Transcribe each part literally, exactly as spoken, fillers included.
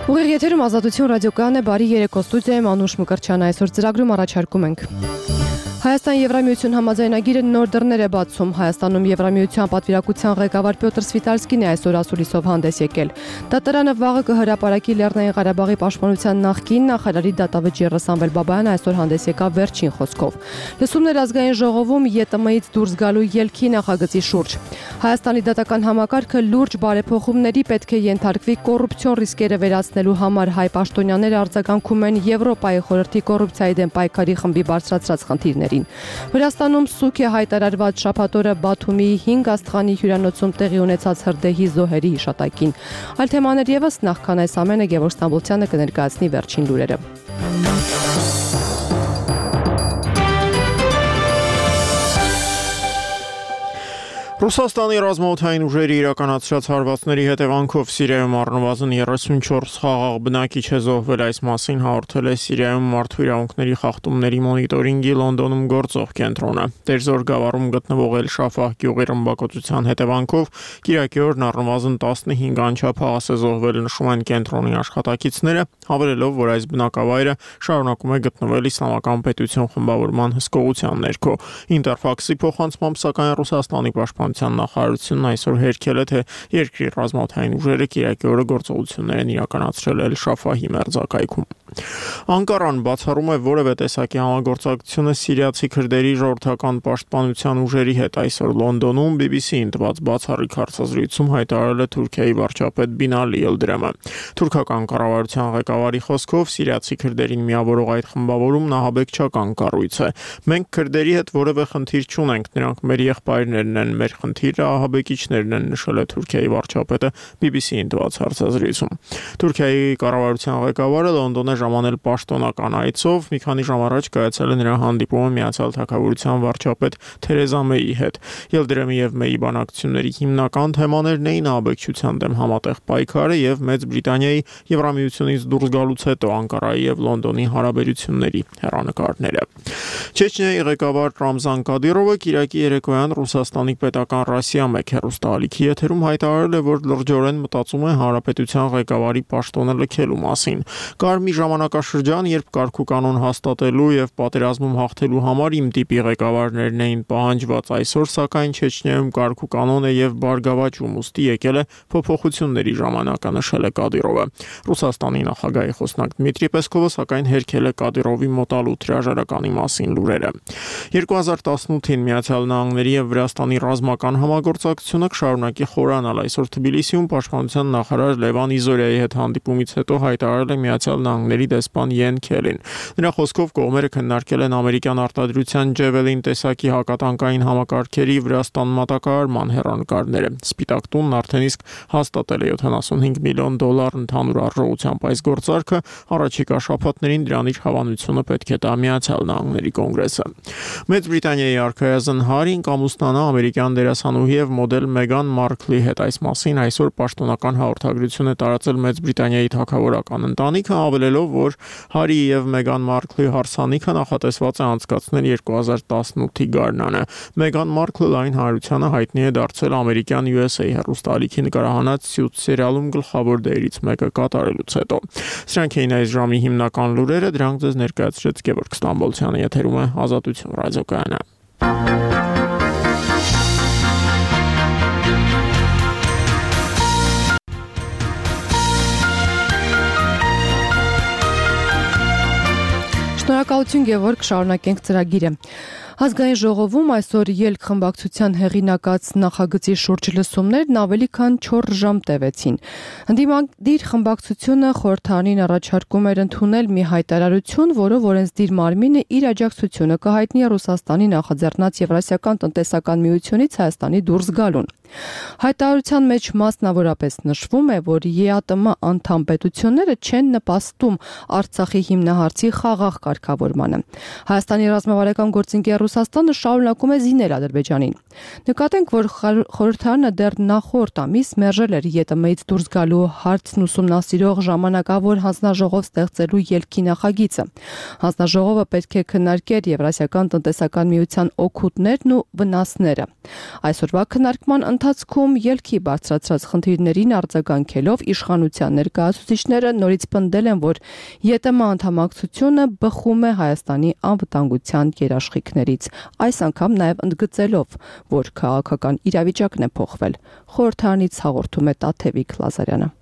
Ուղիղ եթերում Ազատություն ռադիոկայանն է, բարի երեկո, ստուդիայում Անուշ Մկրտչյան, այսօր ծրագրում առաջարկում ենք. Հայաստան-Եվրամիություն համաձայնագիրը նոր դռներ է բացում. Հայաստանում Եվրամիության պատվիրակության ղեկավար Պյոտր Սվիտալսկին է այսօր ասուլիսով հանդես եկել. Դատարանը վաղը կհրապարակի Լեռնային Ղարաբաղի պաշտպանության նախկին նախարարի դատավճիռը Սամվել Բաբայանը այսօր հանդես եկավ վերջին խոսքով. Լսումներ ազգային ժողովում ԵՏՄ-ից դուրս գալու ելքի նախագծի շուրջ. Հայաստանի դատական համակարգը լուրջ բարեփոխումների պետք է ենթարկվի կոռուպցիոն ռիսկերը վերացնելու համար. Հայ պաշտոնյաները արձագանքում են Եվրոպայի խորհրդի կոռուպցիայի դեմ պայքարի խմբի բարձրացրած խնդիրներին. Վրաստանում սուկ է հայտարարված շաբաթ օրը Բաթումի հինգ աստղանի հյուրանոցում տեղի ունեցած հրդեհի զոհերի հիշատակին. Այլ թեմաներ ևս, նախքան այս ամենը Գևորգ Ստամբոլցյանը կներկայացնի վերջին լուրերը. Ռուսաստանի ռազմաօդային ուժերի իրականացրած հարվածների հետևանքով Սիրիայում առնվազն երեսունչորս խաղաղ բնակիչ է զոհվել. Այս մասին հաղորդել է Սիրիայում մարդու իրավունքների խախտումների մոնիտորինգի Լոնդոնում գործող կենտրոնը. Տերզոր գավառում գտնվող Էլ-Շաֆահ գյուղի ռմբակոծության հետևանքով կիրակի օրն առնվազն տասնհինգ անչափ հաղաս է զոհվել, նշում են կենտրոնի աշխատակիցները, հավելելով, որ այս բնակավայրը շարունակում է գտնվել Իսլամական պետություն խմբավորման հսկողության ներքո. Ինտերֆաքսի փոխանցմամբ, սակայն Ռուսաստանի պաշտպանության նախարարությունն այսօր հերքել է, թե երկրի ռազմաօդային ուժերը կիրակի օրը գործողություններ են իրականացրել Էլ-Շաֆահի մերձակայքում. Անկարան բացառում է որևէ տեսակի համագործակցությունը սիրիացի քրդերի ժողովրդական պաշտպանության ուժերի հետ. Այսօր Լոնդոնում բի բի սի-ին տված բացառիկ հարցազրույցում հայտարարել է Թուրքիայի վարչապետ Բինալի Յիլդիրամը. Թուրքական կառավարության ղեկավարի խոսքով սիրիացի քրդերին միավորող այդ խմբավորումն ահաբեկչական կառույց է. Մենք քրդերի հետ որևէ խնդիր չունենք, նրանք մեր եղբայրներն են, մեր խնդիրը ահաբեկիչներն են, նշել է Թուրքիայի վարչապետը բի բի սի-ին տված հարցազրույցում. Թուրքիայի կառավարության ղեկավարը Լոնդոն է ժամանել պաշտոնական այցով. մի քանի ժամ առաջ կայացել է նրա հանդիպումը Միացյալ Թագավորության վարչապետ Թերեզա Մեյի հետ. Յիլդիրամի եւ Մեյի բանակցությունների հիմնական թեմաներն էին ահաբեկչության դեմ համատեղ պայքարը եւ Մեծ Բրիտանիայի Եվրամիությունից դուրս գալուց հետո Անկարայի եւ Լոնդոնի հարաբերությունների հեռանկարները. Չեչնիայի ղեկավար Ռամզան Կադիրովը կիրակի երեկոյան Ռուսաստանի պետական Ռասիա մեկ հեռուստաալիքի եթերում հայտարարել է, որ լրջորեն մտածում է հանրապետության ղեկավարի պաշտոնը լքելու մասին. Կար մի ժամանակաշրջան, երբ կարգուկանոն հաստատելու եւ պատերազմում հաղթելու համար իմ տիպի ղեկավարներն էին պահանջված. Այսօր սակայն Չեչնիայում կարգուկանոն է եւ բարգավաճում, ուստի եկել է փոփոխությունների ժամանակը, նշել է Կադիրովը. Ռուսաստանի նախագահի խոսնակ Դմիտրի Պեսկովը սակայն հերքել է Կադիրովի մոտալու հրաժարականի մասին լուրերը. երկու հազար տասնութին Միացյալ Նահանգների եւ Վրաստանի ռազմական համագործակցությունը կշարունակի խորանալ. Այսօր Թբիլիսիում պաշտպանության նախարար Լևան Իզորյայի հետ հանդիպումից հետո հայտարարել է Միացյալ Նահանգների դեսպան Յեն Քելին. Նրա խոսքով կողմերը քննարկել են ամերիկյան արտադրության Ջևելին տեսակի հակատանկային համակարգերի Վրաստան մատակարարման հեռանկարները. Սպիտակ տունն արդեն իսկ հաստատել է յոթանասունհինգ միլիոն դոլար ընդհանուր արժողությամբ այս գործարքը. առաջիկա շաբաթներին դրան իր հավանությունը պետք է տա Միացյալ Նահանգների կոնգրեսը. Մեծ Բրիտանիայի արքայազն Հարին կամուսնանա ամերիկյան դերասանուհի եւ մոդել Մեգան Մարքլի հետ. Այս մասին այսօր պաշտոնական հաղորդագրություն է տարածել Մեծ Բրիտանիայի թագավորական ընտանիքը, հավելելով, որ Հարի եւ Մեգան Մարքլի հարսանիքը նախատեսված է անցկացնել երկու հազար տասնութի գարնանը. Մեգան Մարքլը լայն հանրությանը հայտնի է դարձել ամերիկյան յու էս էյ հեռուստաալիքի նկարահանած Suits սերիալում գլխավոր դերից մեկը կատարելուց հետո. Սրանք էին այս ժամի հիմնական լուրերը, դրանք ձեզ ներկայացրեց Գևորգ Ստամբոլցյանը, եթերում է Ազատություն ռադիոկայանը. Շնորհակալություն Գևորգ, շարունակենք ծրագիրը. Ազգային ժողովում այսօր ելք խմբակցության հեղինակած նախագծի շուրջ լսումներն ավելի քան չորս ժամ տևեցին. Ընդդիմադիր խմբակցությունը խորհրդարանին առաջարկում էր ընդունել մի հայտարարություն, որով օրենսդիր մարմինը իր աջակցությունը կհայտնի Ռուսաստանի նախաձեռնած Եվրասիական տնտեսական միությունից Հայաստանի դուրս գալուն. Հայտարարության մեջ մասնավորապես նշվում է, որ ԵԱՏՄ անդամ պետությունները չեն նպաստում Արցախի հիմնահարցի խաղաղ կարգավորմանը. Հայաստանի ռազմավարական գործընկերության Ռուսաստանը շարունակում է զինել Ադրբեջանին։ Նկատենք, որ խորհրդարանը դեռ նախորդ ամիս մերժել էր ԵՏՄ-ից դուրս գալու հարցն ուսումնասիրող ժամանակավոր հանձնաժողով ստեղծելու ելքի նախագիծը։ Հանձնաժողովը պետք է քննարկեր Եվրասիական տնտեսական միության օգուտներն ու վնասները։ Այսօրվա քննարկման ընթացքում ելքի բարձրացրած խնդիրներին արձագանքելով իշխանության ներկայացուցիչները նորից պնդել են, որ ԵՏՄ անդամակցությունը բխում է Հայաստանի անվտանգության երաշխիքներից, այս անգամ նաև ընդգծելով, որ քաղաքական իրավիճակն է փոխվել։ Խորհրդարանից հաղորդում է Տաթևիկ Լազարյանը։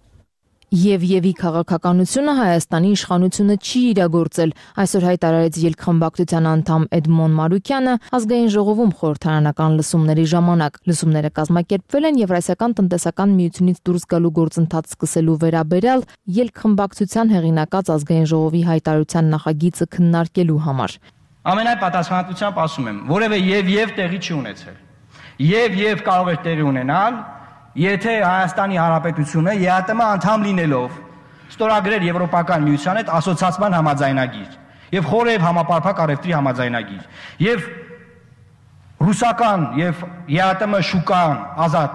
Եվ-եւի քաղաքականությունը Հայաստանի իշխանությունը չի իրագործել, այսօր հայտարարեց ելքխմբակցության անդամ Էդմոն Մարուկյանը ազգային ժողովում խորհրդարանական լսումների ժամանակ։ Լսումները կազմակերպվել են Եվրասիական տնտեսական միությունից դուրս գալու գործընթաց սկսելու վերաբերյալ ելքխմբակցության հեղինակած ազգային ժողովի հայտարարության նախագիծը քննարկելու համար։ Ամենայն պատասխանատվությամբ ասում եմ, որևէ եւ-եւ տեղի չի ունեցել։ Եվ-եւ կարող է տեղի ունենալ, եթե Հայաստանի Հանրապետությունը ԵԱՏՄ անդամ լինելով ստորագրեր Եվրոպական միության հետ ասոցիացիան համաձայնագիր եւ խորհրդ համապարփակ առևտրի համաձայնագիր եւ ռուսական եւ ԵԱՏՄ շուկան ազատ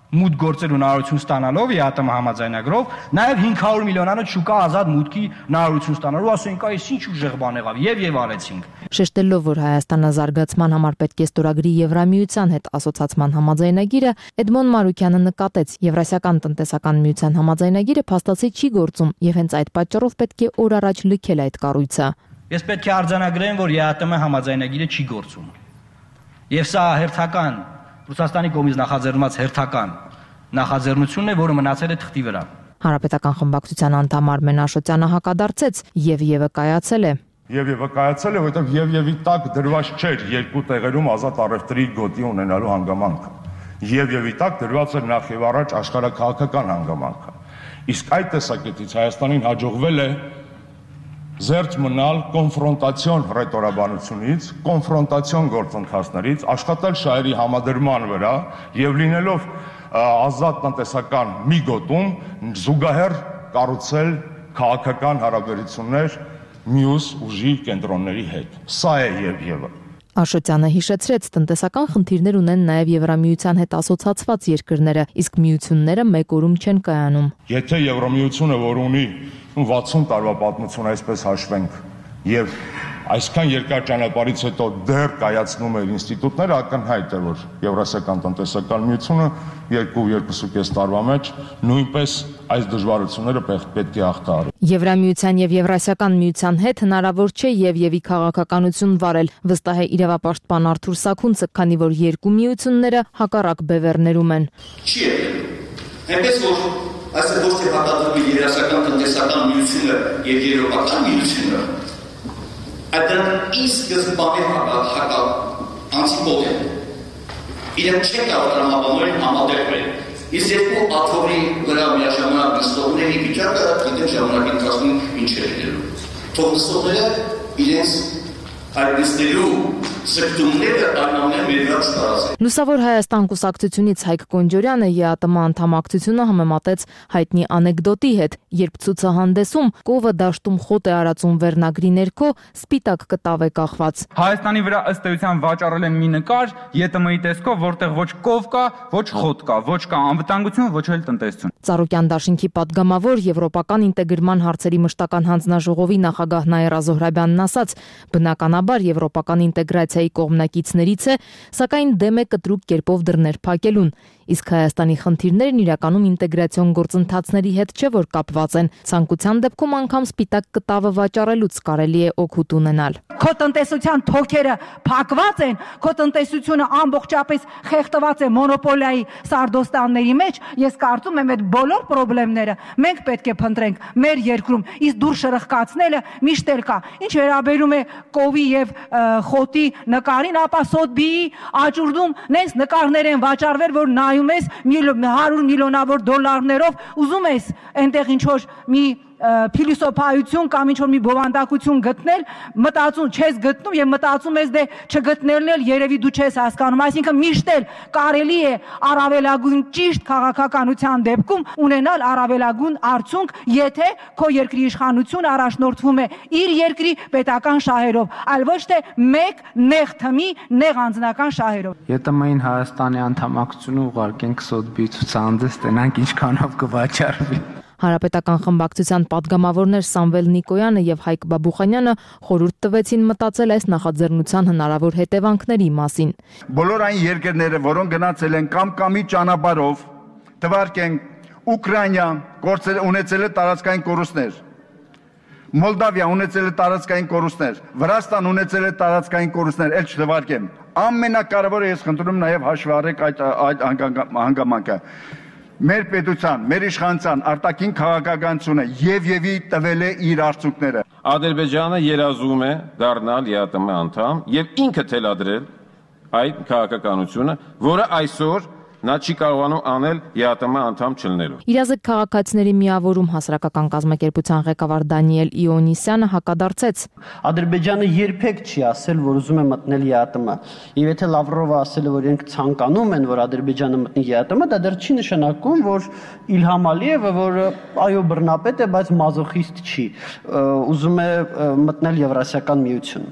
մուտք գործելու հնարավորություն ստանալով ԵԱՏՄ համաձայնագրով նաեւ հինգ հարյուր միլիոնանոց շուկա ազատ մուտքի հնարավորություն ստանալու ասենք այս ինչ ուժեղ բան եղավ եւ եւ արեցինք։ Շեշտելով, որ Հայաստանը զարգացման համար պետք է ստորագրի Եվրամիության հետ ասոցիացման համաձայնագիրը, Էդմոն Մարուկյանը նկատեց, Եվրասիական տնտեսական միության համաձայնագիրը փաստացի չի գործում եւ հենց այդ պատճառով պետք է օր առաջ լքել այդ կառույցը։ Ես պետք է արձանագրեմ, որ ԵԱՏՄ համաձայնագիրը չի գործում։ Եվ սա հերթական Ռուսաստանի կողմից նախաձեռնված հերթական նախաձեռնությունն է, որը մնացել է թղթի վրա։ Հանրապետական խմբակցության անդամ Արմեն Աշոտյանը հակադարձեց եւ-եւը կայացել է։ Եվ-եւը կայացել է, որովհետեւ եւ-եւի տակ դրված չէր երկու տեղերում ազատ առևտրի գոտի ունենալու հանգամանքը։ Եվ-եւի տակ դրված էր նախ եւ առաջ աշխարհաքաղաքական հանգամանքը։ Իսկ այդ տեսակետից Հայաստանին հաջողվել է զերծ մնալ կոնֆրոնտացիոն ռետորաբանությունից, կոնֆրոնտացիոն գործընթացներից, աշխատել շահերի համադրման վրա եւ լինելով ազատ տնտեսական մի գոտում զուգահեռ կառուցել քաղաքական հարաբերություններ մյուս ուժի կենտրոնների հետ։ Սա է եւ-եւը։ Աշոտյանը հիշեցրեց, տնտեսական խնդիրներ ունեն նաև Եվրամիության հետ ասոցիացված երկրները, իսկ միությունները մեկ օրում չեն կայանում։ Եթե Եվրամիությունը, որ ունի վաթսուն տարվա պատմություն, այսպես հաշվենք, եւ այսքան երկար ճանապարհից հետո դեռ կայացնում է ինստիտուտները, ակնհայտ է, որ Եվրասիական տնտեսական միությունը երկու երկուսուկես տարվա մեջ նույնպես այս դժվարությունները պետք է հաղթահարի։ Եվրամիության եւ Եվրասիական միության հետ հնարավոր չէ եւ-եւի քաղաքականություն վարել, վստահ է իրավապաշտպան Արթուր Սաքունցը, քանի որ երկու միությունները հակառակ բևեռներում են։ Չի եղել։ Այնպես որ այսօր ոչ թե հակադրվում է Եվրասիական տնտեսական միությունը եւ Եվրոպական միությունը, այդ ինչ սկզբանե հակա անտիպոդ է։ Իրենք չեն կարող տրամաբանորեն համատեղվել։ Իսկ երկու աթոռի վրա միաժամանակ նստողների վիճակը գիտեն ժամանակի ընթացքում ինչ է լինելու։ Թող նստողները իրենց այդ նստելու սրտումները այնամեն մեր վրա չտարածեն։ Լուսավոր Հայաստան կուսակցությունից Հայկ Կոնջորյանը ԵԱՏՄ անդամակցությունը համեմատեց հայտնի անեկդոտի հետ, երբ ցուցահանդեսում կովը դաշտում խոտ է արածում վերնագրի ներքո սպիտակ կտավ է կախված։ Հայաստանի վրա ըստ էության վաճառել են մի նկար ԵՏՄ-ի տեսքով, որտեղ ոչ կով կա, ոչ խոտ կա, ոչ կա անվտանգություն, ոչ էլ տնտեսություն։ Ծառուկյան դաշինքի падգամավոր Եվրոպական ինտեգրման հարցերի մշտական հանձնաժողովի նախագահ Նաիրա Զոհրաբյանն ասաց, բնականաբար եվրոպական ինտեգրացիայի կողմնակիցներից է, սակայն դեմ է կտրուկ կերպով դռներ փակելուն, իսկ Հայաստանի խնդիրներն իրականում ինտեգրացիոն գործընթացների հետ չէ որ կապված են, ցանկության դեպքում անգամ սպիտակ կտավը վաճառելուց կարելի է օգուտ ունենալ։ Քո տնտեսության թոքերը փակված են, քո տնտեսությունը ամբողջապես խեղդված է մոնոպոլիայի սարդոստանների մեջ, ես կարծում եմ այդ բոլոր խնդիրները մենք պետք է փնտրենք մեր երկրում, իսկ դուր շրխկացնելը միշտ էլ կա։ Ինչ վերաբերում է կովի եւ խոտի նկարին, ապա Սոթբիի աճուրդում նենց նկարներ են վաճառվել, որ նայում ես հարյուր միլիոնավոր դոլարներով, ուզում ես այնտեղ ինչ որ մի փիլիսոփայություն կամ ինչ-որ մի բովանդակություն գտնել, մտածում չես գտնում եւ մտածում ես դե չգտնելն էլ երևի դու չես հասկանում, այսինքն միշտ էլ կարելի է առավելագույն ճիշտ քաղաքականության դեպքում ունենալ առավելագույն արդյունք, եթե քո երկրի իշխանությունը առաջնորդվում է իր երկրի պետական շահերով, այլ ոչ թե մեկ նեղ թմի, նեղ անձնական շահերով։ ԵՏՄ-ին Հայաստանի անդամակցությունը ուղարկենք Սոթբի ցուցահանդես, տենանք ինչքանով կվաճառվի։ Հանրապետական խմբակցության պատգամավորներ Սամվել Նիկոյանը եւ Հայկ Բաբուխանյանը խորհուրդ տվեցին մտածել այս նախաձեռնության հնարավոր հետևանքների մասին։ Բոլոր այն երկրները, որոնք գնացել են կամ կամի ճանապարհով, թվարկենք Ուկրաինա ունեցել է տարածքային կորուստներ, Մոլդավիա ունեցել է տարածքային կորուստներ, Վրաստան ունեցել է տարածքային կորուստներ, էլ չթվարկեմ։ Ամենակարևորը ես խնդրում նաեւ հաշվի առեք այդ այդ հանգամանքը։ Մեր պետության, մեր իշխանության արտաքին քաղաքականությունը եւ եւի տվել է իր արդյունքները։ Ադրբեջանը երազում է դառնալ ԵԱՏՄ անդամ եւ ինքը թելադրել այդ քաղաքականությունը, որը այսօր նա չի կարողանում անել ԵԱՏՄ անդամ չլինելու։ Իրազեկ քաղաքացիների միավորում հասարակական կազմակերպության ղեկավար Դանիել Իոնիսյանը հակադարձեց։ Ադրբեջանը երբեք չի ասել, որ ուզում է մտնել ԵԱՏՄ։ Եվ եթե Լավրովը ասել է, որ իրենք ցանկանում են, որ Ադրբեջանը մտնի ԵԱՏՄ, դա դեռ չի նշանակում, որ Իլհամ Ալիևը, որը այո բռնապետ է, բայց մազոխիստ չի, ուզում է մտնել Եվրասիական միություն։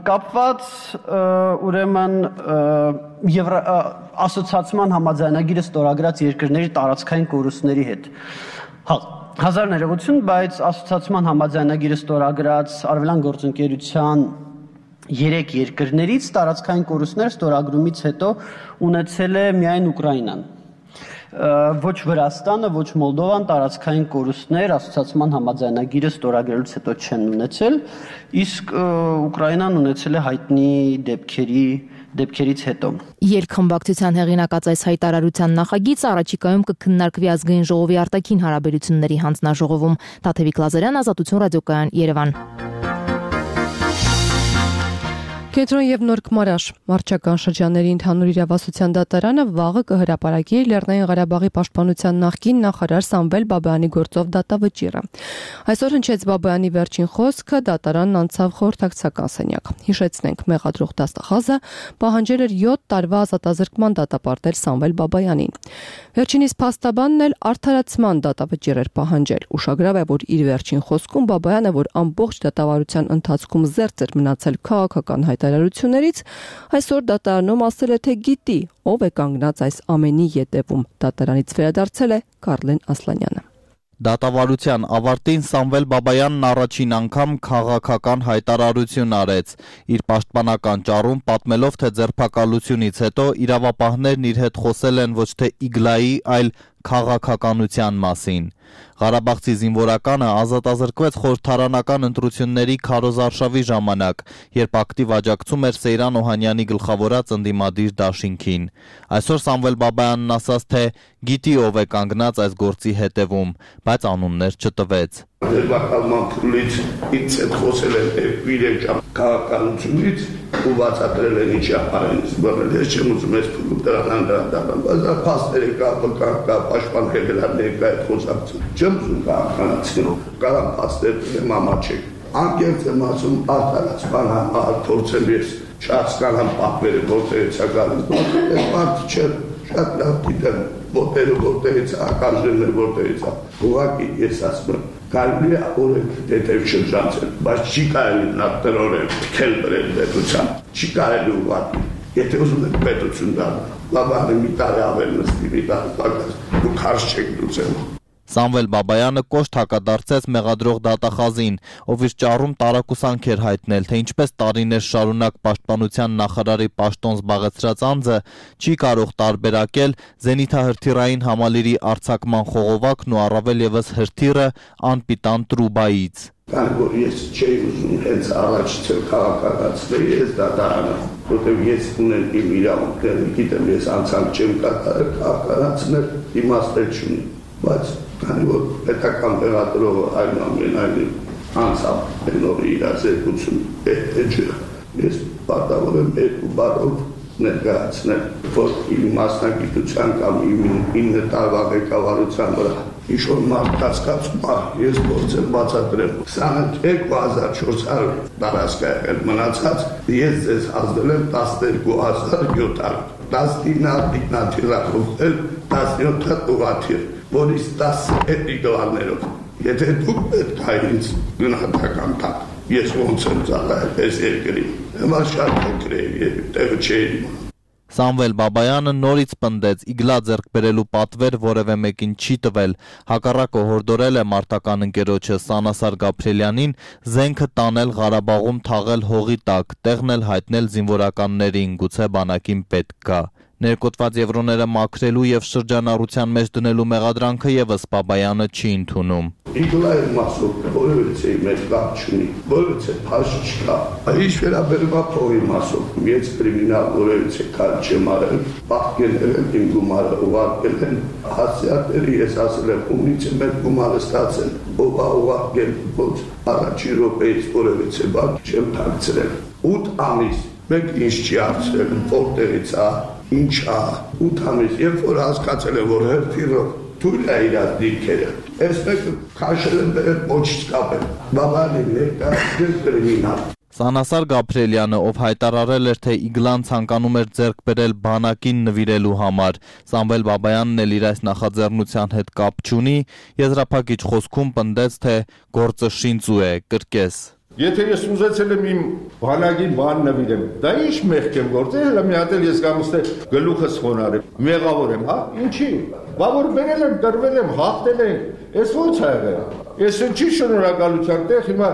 Կապված ուրեմն ասոցիացիան համաձայնագիրը ստորագրած երկրների տարածքային կորուստների հետ։ Հազար ներողություն, բայց ասոցիացիան համաձայնագիրը ստորագրած Արևելյան գործընկերության երեք երկրներից տարածքային կորուստներ ստորագրումից հետո ունեցել է միայն Ուկրաինան։ Ոչ Վրաստանը, ոչ Մոլդովան տարածքային կորուստներ ասոցիացիան համաձայնագիրը ստորագրելուց հետո չեն ունեցել, իսկ Ուկրաինան ունեցել է հայտնի դեպքերի դեպքերից հետո։ Երկխմբակցության հեղինակած այս հայտարարության նախագիծը առաջիկայում կքննարկվի ազգային ժողովի արտաքին հարաբերությունների հանձնաժողովում։ Տաթևիկ Լազարյան, Ազատություն ռադիոկայան, Երևան։ Կենտրոն եւ Նոր Քմարաշ մարչական շրջանների ընդհանուր իրավասության դատարանը վաղը կհրապարակի Լեռնային Ղարաբաղի պաշտպանության նախկին նախարար Սամվել Բաբայանի գործով դատավճիռը։ Այսօր հնչեց Բաբայանի վերջին խոսքը, դատարանն անցավ խորհրդակցական սենյակ։ Հիշեցնենք, մեղադրող դաստախազը պահանջել էր յոթ տարվա ազատազրկման դատապարտել Սամվել Բաբայանին։ Վերջինիս փաստաբանն էլ արդարացման դատավճիռ էր պահանջել։ Ուշագրավ է, որ իր վերջին խոսքում Բաբայանը, որ ամբողջ դատավարության ընթացքում զերծ էր մնացել քաղաքական հայտարարություններից, այսօր դատարանում ասել է, թե գիտի, ով է կանգնած այս ամենի ետևում։ Դատարանից վերադարձել է Կարլեն Ասլանյանը։ Դատավարության ավարտին Սամվել Բաբայանն առաջին անգամ քաղաքական հայտարարություն արեց։ Իր պաշտպանական ճառում պատմելով, թե ձերբակալությունից հետո իրավապահներն իր հետ խոսել են ոչ թե Իգլայի, այլ քաղաքականության մասին։ Ղարաբաղցի զինվորականը ազատազրկվեց խորհրդարանական ընտրությունների քարոզարշավի ժամանակ, երբ ակտիվ աջակցում էր Սեյրան Օհանյանի գլխավորած ընդդիմադիր դաշինքին։ Այսօր Սամվել Բաբայանն ասաց, թե գիտի ով է կանգնած այս գործի հետևում, բայց անուններ չտվեց։ Ձերբակալման փուլից ինձ հետ խոսել են իրենք քաղաքականությունից ու բացատրել են ինչ ապարեն զբաղել, ես չեմ ուզում ես փուլում դրան դրան, բայց դա փաստերի կապը կա, պաշտպան հեղինակների հետ խոսակցություն, չեմ ուզում քաղաքականացնել, կարամ փաստեր դեմ ամաչեք, անկեղծ եմ ասում արդարացման համար փորձեմ ես չհասկանամ պատվերը որտեղից է գալիս, այս մարդը չէ, շատ լավ գիտեմ, ոտերը որտեղից է, ականջներն որտեղից է, ուղղակի ես ասում եմ կարելի է օրենք դետև շրջանցել, բայց չի կարելի նավտրորեն քել բրել պետության, չի կարելի ուղղակի, եթե ուզում եք պետություն դառնալ, Բաբայանը մի տարի ավել նստի, մի տարի պակաս, դուք հարց չեք լուծել։ Սամվել Բաբայանը կոշտ հակադարձեց մեղադրող դատախազին, ով իր ճառում տարակուսանք էր հայտնել, թե ինչպես տարիներ շարունակ պաշտպանության նախարարի պաշտոն զբաղեցրած անձը չի կարող տարբերակել զենիթահրթիռային համալիրի արձակման խողովակն ու առավել ևս հրթիռը անպիտան տրուբայից։ Քանի որ ես չէի ուզում հենց առաջացել քաղաքականացնել, ես դատարանը, որտեղ ես ունեմ իմ իրավունքները, գիտեմ ես անցանք չեմ կատարել քաղաքականացնել, իմաստեր չունի, բայց քանի որ պետական տեղադրողը այնուամենայնիվ անցավ այն օրի իր ազերգություն պետք է, ես պարտավոր եմ երկու բառով ներկայացնել, որ իմ մասնագիտության կամ իմ ինը տարվա ղեկավարության վրա ինչ-որ մարդ կասկածում է, ես փորձ եմ բացատրեմ։ քսաներկու հազար չորս հարյուր տարածք է եղել, մնացած ես ձեզ ազդել եմ տասներկու հազար յոթ հարյուր, տասնինը ինքնաթիռով էլ տասնյոթը ուղղաթիռ, որից տասը դոլարներով։ Եթե դուք պետք է ինձ գնահատական տաք, ես ոնց եմ ծառայել այս երկրին, հիմա շատ փոքր է եւ տեղը չէ։ Սամվել Բաբայանը նորից պնդեց իգլա ձեռք բերելու պատվեր որևէ մեկին չի տվել, հակառակը հորդորել է մարտական ընկերոջը Սանասար Գաբրիելյանին զենքը տանել Ղարաբաղում թաղել հողի տակ, տեղն էլ հայտնել զինվորականներին, գուցե բանակին պետք գա։ Ներկոտված եվրոները մաքրելու եւ շրջանառության մեջ դնելու մեղադրանքը եւս Բաբայանը չի ընդունում։ Իգլայի մասով որևէ մեր կապ չունի, որևէ փաշ չկա։ Այս վերաբերում է փողի մասով, ես կրիմինալ որևէ քար չեմ արել, պահկել եմ իմ գումարը ուղարկել են հասարակների, ես ասել եմ ումից եմ այդ գումարը ստացել, ով է ուղարկել, ոչ առաջի րոպեից որևէ բան չեմ թաքցրել։ ութ ամիս մենք ինչ չի հարցրել, որտեղից է, ինչ է, ութ ամիս, երբ որ հասկացել եմ, որ հերթիրով թույլ է իրար դիրքերը, ես մեկը քաշել եմ բերել ոչից կապել, բաբանի ներկայացնել կրիմինալ։ Սանասար Գաբրիելյանը, ով հայտարարել էր, թե իգլան ցանկանում էր ձեռք բերել բանակին նվիրելու համար, Սամվել Բաբայանն էլ իր այս նախաձեռնության հետ կապ չունի, եզրափակիչ խոսքում պնդեց, թե գործը շինծու է, կրկես։ Եթե ես ուզեցել եմ իմ բանակին բան նվիրեմ, դա ինչ մեղք եմ գործել, հələ մի հատ էլ ես գամուստե գլուխս խոնարհեմ, մեղավոր եմ, հա, ինչի։ Բա որ բերել եմ, դրվել եմ, հաղթել եմ, ես ո՞նց ա եղել։ Ես ինչի շնորհակալության տեղ հիմա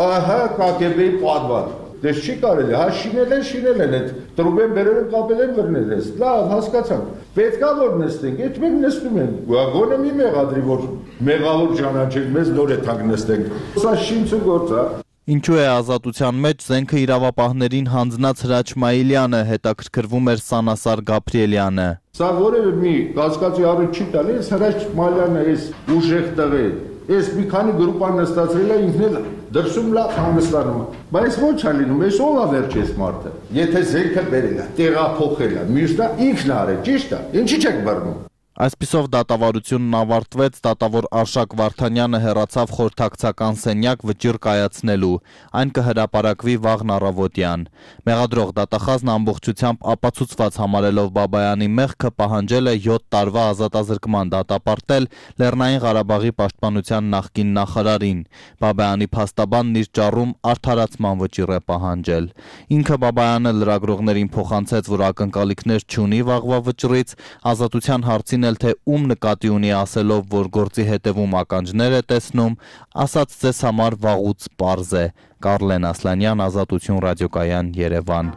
ահա կագեբեի պատվան։ Դες չի կարելի, հա շինել են, շինել են, այդ տրուբեն բերել են, կապել են վրնել ես, լավ, հասկացանք, պետք է որ նստենք, այդ մենք նստում ենք, գոնե մի մեղադրի, որ մեղավոր ճանաչենք, մեզ նոր է թանք նստենք, սա շինցու գործ է։ Ինչու է ազատության մեջ զենքը իրավապահներին հանձնած Հրաչ Մայիլյանը, հետաքրքրվում էր Սանասար Գաբրիելյանը։ Սա որևէ մի կասկածի առիթ չի տալի, ես Հրաչ Մայիլյանը էս ուժեղ տղե, ես մի քանի գրուպան նստացրել է ինքն էլ դրսում լավ հանգստանում է։ Բայց ոչ է լինում, ես ով է վերջ ես մարդը։ Եթե զենքը բերել է, տեղափոխել է, մյուսն է ինքն արել, ճիշտ է, ինչի՞ չեք բռնում։ Այսպիսով դատավարությունն ավարտվեց, դատավոր Արշակ Վարդանյանը հեռացավ խորհրդակցական սենյակ վճիռ կայացնելու, այն կհրապարակվի վաղն առավոտյան։ Մեղադրող դատախազն ամբողջությամբ ապացուցված համարելով Բաբայանի մեղքը պահանջել է յոթ տարվա ազատազրկման դատապարտել Լեռնային Ղարաբաղի պաշտպանության նախկին նախարարին։ Բաբայանի փաստաբանն իր ճառում արդարացման վճիռ է պահանջել։ Ինքը Բաբայանը լրագրողներին փոխանցեց, որ ակնկալիքներ չունի վաղվա վճռից, ազատության հարցին թե ում նկատի ունի ասելով, որ գործի հետևում ականջներ է տեսնում, ասաց ձեզ համար վաղուց պարզ է։ Կարլեն Ասլանյան, Ազատություն ռադիոկայան, Երևան։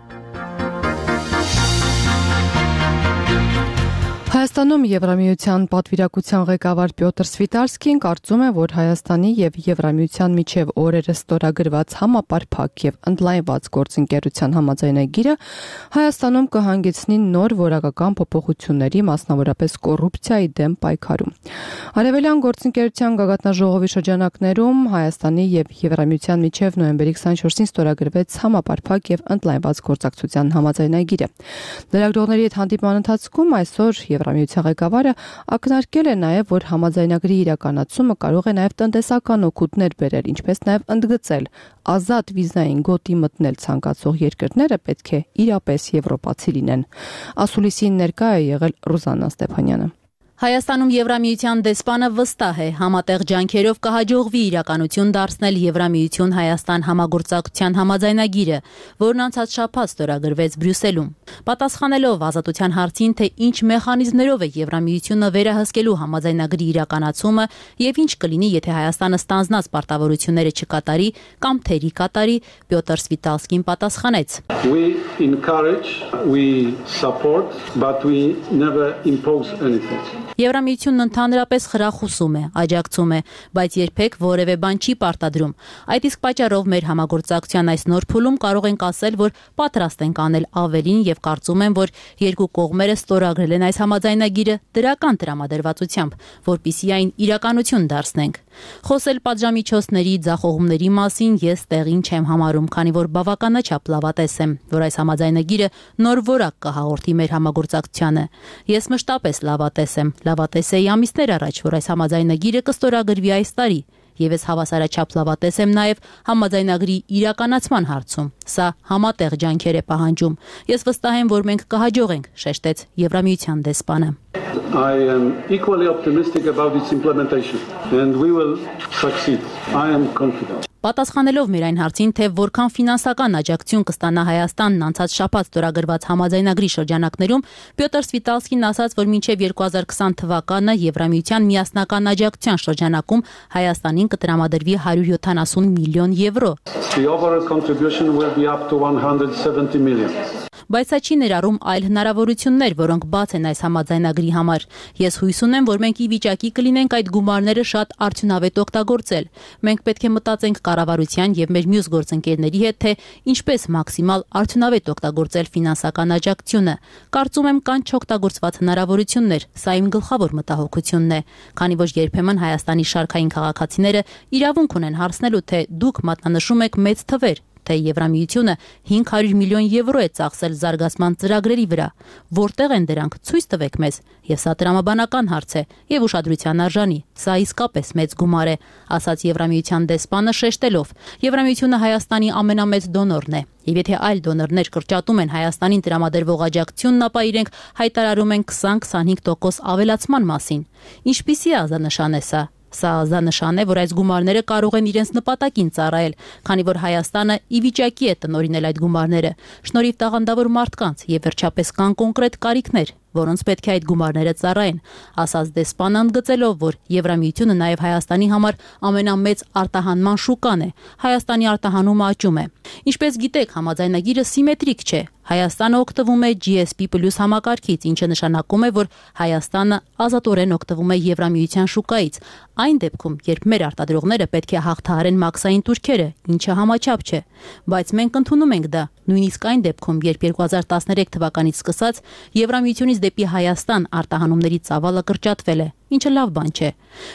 Հայաստանում Եվրամիության պատվիրակության ղեկավար Պյոտր Սվիտարսկին կարծում է, որ Հայաստանի եւ Եվրամիության միջև օրերս ստորագրված համապարփակ եւ ընդլայնված գործընկերության համաձայնագիրը Հայաստանում կհանգեցնի նոր որակական փոփոխությունների, մասնավորապես կոռուպցիայի դեմ պայքարում։ Արևելյան գործընկերության գագաթնաժողովի շրջանակներում Հայաստանի եւ Եվրամիության միջև նոյեմբերի քսաներկուսին ստորագրվեց համապարփակ եւ ընդլայնված գործակցության համաձայնագիրը։ Լրագրողների հետ հանդիպման ընթացքում այսօր Եվրամիության ղեկավարը ակնարկել է նաև, որ համաձայնագրի իրականացումը կարող է նաև տնտեսական օգուտներ բերել, ինչպես նաև ընդգծել ազատ վիզային գոտի մտնել ցանկացող երկրները պետք է իրապես եվրոպացի լինեն։ Ասուլիսին ներկա է եղել Ռուզաննա Ստեփանյանը։ Հայաստանում Եվրամիության դեսպանը վստահ է, համատեղ ջանքերով կհաջողվի իրականություն դարձնել Եվրամիություն-Հայաստան համագործակցության համաձայնագիրը, որն անցած շաբաթ ստորագրվեց Բրյուսելում։ Պատասխանելով ազատության հարցին, թե ինչ մեխանիզմներով է Եվրամիությունը վերահսկելու համաձայնագրի իրականացումը եւ ինչ կլինի, եթե Հայաստանը ստանձնած պարտավորությունները չկատարի կամ թերի կատարի, Պյոտր Սվիտալսկին պատասխանեց. We encourage, we support, but we never impose anything. Եվրամիությունն ընդհանրապես խրախուսում է, աջակցում է, բայց երբեք որևէ բան չի պարտադրում։ Այդ իսկ պատճառով մեր համագործակցության այս նոր փուլում կարող ենք ասել, որ պատրաստ ենք անել ավելին եւ կարծում եմ, որ երկու կողմերը ստորագրել են այս համաձայնագիրը դրական տրամադրվածությամբ, որպեսզի այն իրականություն դարձնենք։ Խոսել պատժամիջոցների, ձախողումների մասին ես տեղին չեմ համարում, քանի որ բավականաչափ լավատես եմ, որ այս համաձայնագիրը նոր որակ կհաղորդի մեր համագործակցությանը։ Ես մշտապես լավատես եմ, լավատես էի ամիսներ առաջ, որ այս համաձայնագիրը կստորագրվի այս տարի, եւ ես հավասարաչափ լավատես եմ նաեւ համաձայնագրի իրականացման հարցում։ Սա համատեղ ջանքեր է պահանջում։ Ես վստահ եմ, որ մենք կհաջողենք, շեշտեց Եվրամիության դեսպանը։ I am equally optimistic about its implementation and we will succeed. I am confident. Պատասխանելով մեր այն հարցին, թե որքան ֆինանսական աջակցություն կստանա Հայաստանն անցած շաբաթ ստորագրված համաձայնագրի շրջանակներում, Պյոտր Սվիտալսկին ասաց, որ մինչև երկու հազար քսան թվականը Եվրամիության միասնական աջակցության շրջանակում Հայաստանին կտրամադրվի հարյուր յոթանասուն միլիոն եվրո։ The overall contribution will be up to one hundred seventy million. Բայց սա չի ներառում այլ հնարավորություններ, որոնք բաց են այս համաձայնագրի համար։ Ես հույս ունեմ, որ մենք ի վիճակի կլինենք այդ գումարները շատ արդյունավետ օգտագործել։ Մենք պետք է մտածենք կառավարության եւ մեր մյուս գործընկերների հետ, թե ինչպես մաքսիմալ արդյունավետ օգտագործել ֆինանսական աջակցությունը։ Կարծում եմ կան չօգտագործված հնարավորություններ, սա իմ գլխավոր մտահոգությունն է, քանի որ երբեմն Հայաստանի շարքային քաղաքացիները իրավունք ունեն հարցնելու, թե դուք մատնանշում եք մեծ թվեր, թե Եվրամիությունը հինգ հարյուր միլիոն եվրո է ծախսել զարգացման ծրագրերի վրա, որտեղ են դրանք, ցույց տվեք մեզ, եւ սա տրամաբանական հարց է եւ ուշադրության արժանի, սա իսկապես մեծ գումար է, ասաց Եվրամիության դեսպանը շեշտելով, Եվրամիությունը Հայաստանի ամենամեծ դոնորն է, եւ եթե այլ դոնորներ կրճատում են Հայաստանին տրամադրվող աջակցությունն, ապա իրենք հայտարարում են քսան քսանհինգ տոկոս ավելացման մասին։ Ինչպիսի ազանշան է սա։ Սա ազանշան է, որ այս գումարները կարող են իրենց նպատակին ծառայել, քանի որ Հայաստանը ի վիճակի է տնօրինել այդ գումարները, շնորհիվ տաղանդավոր մարդկանց եւ վերջապես կան կոնկրետ կարիքներ, որոնց պետք է այդ գումարները ծառայեն, ասաց դեսպանը ընդգծելով, որ Եվրամիությունը նաեւ Հայաստանի համար ամենամեծ արտահանման շուկան է, Հայաստանի արտահանումը աճում է։ Ինչպես գիտեք, համաձայնագիրը սիմետրիկ չէ։ Հայաստանը օգտվում է G S P plus համակարգից, ինչը նշանակում է, որ Հայաստանը ազատորեն օգտվում է Եվրամիության շուկայից։ Այն դեպքում, երբ մեր արտադրողները պետք է հաղթահարեն մաքսային տուրքերը, ինչը համաչափ չէ, բայց մենք ընդունում ենք դա, նույնիսկ այն դեպքում, երբ երկու հազար տասներեք թվականից սկսած Եվրամիությունից դեպի Հայաստան արտահանումների ծավալը կրճատվել է, ինչը լավ բան չէ։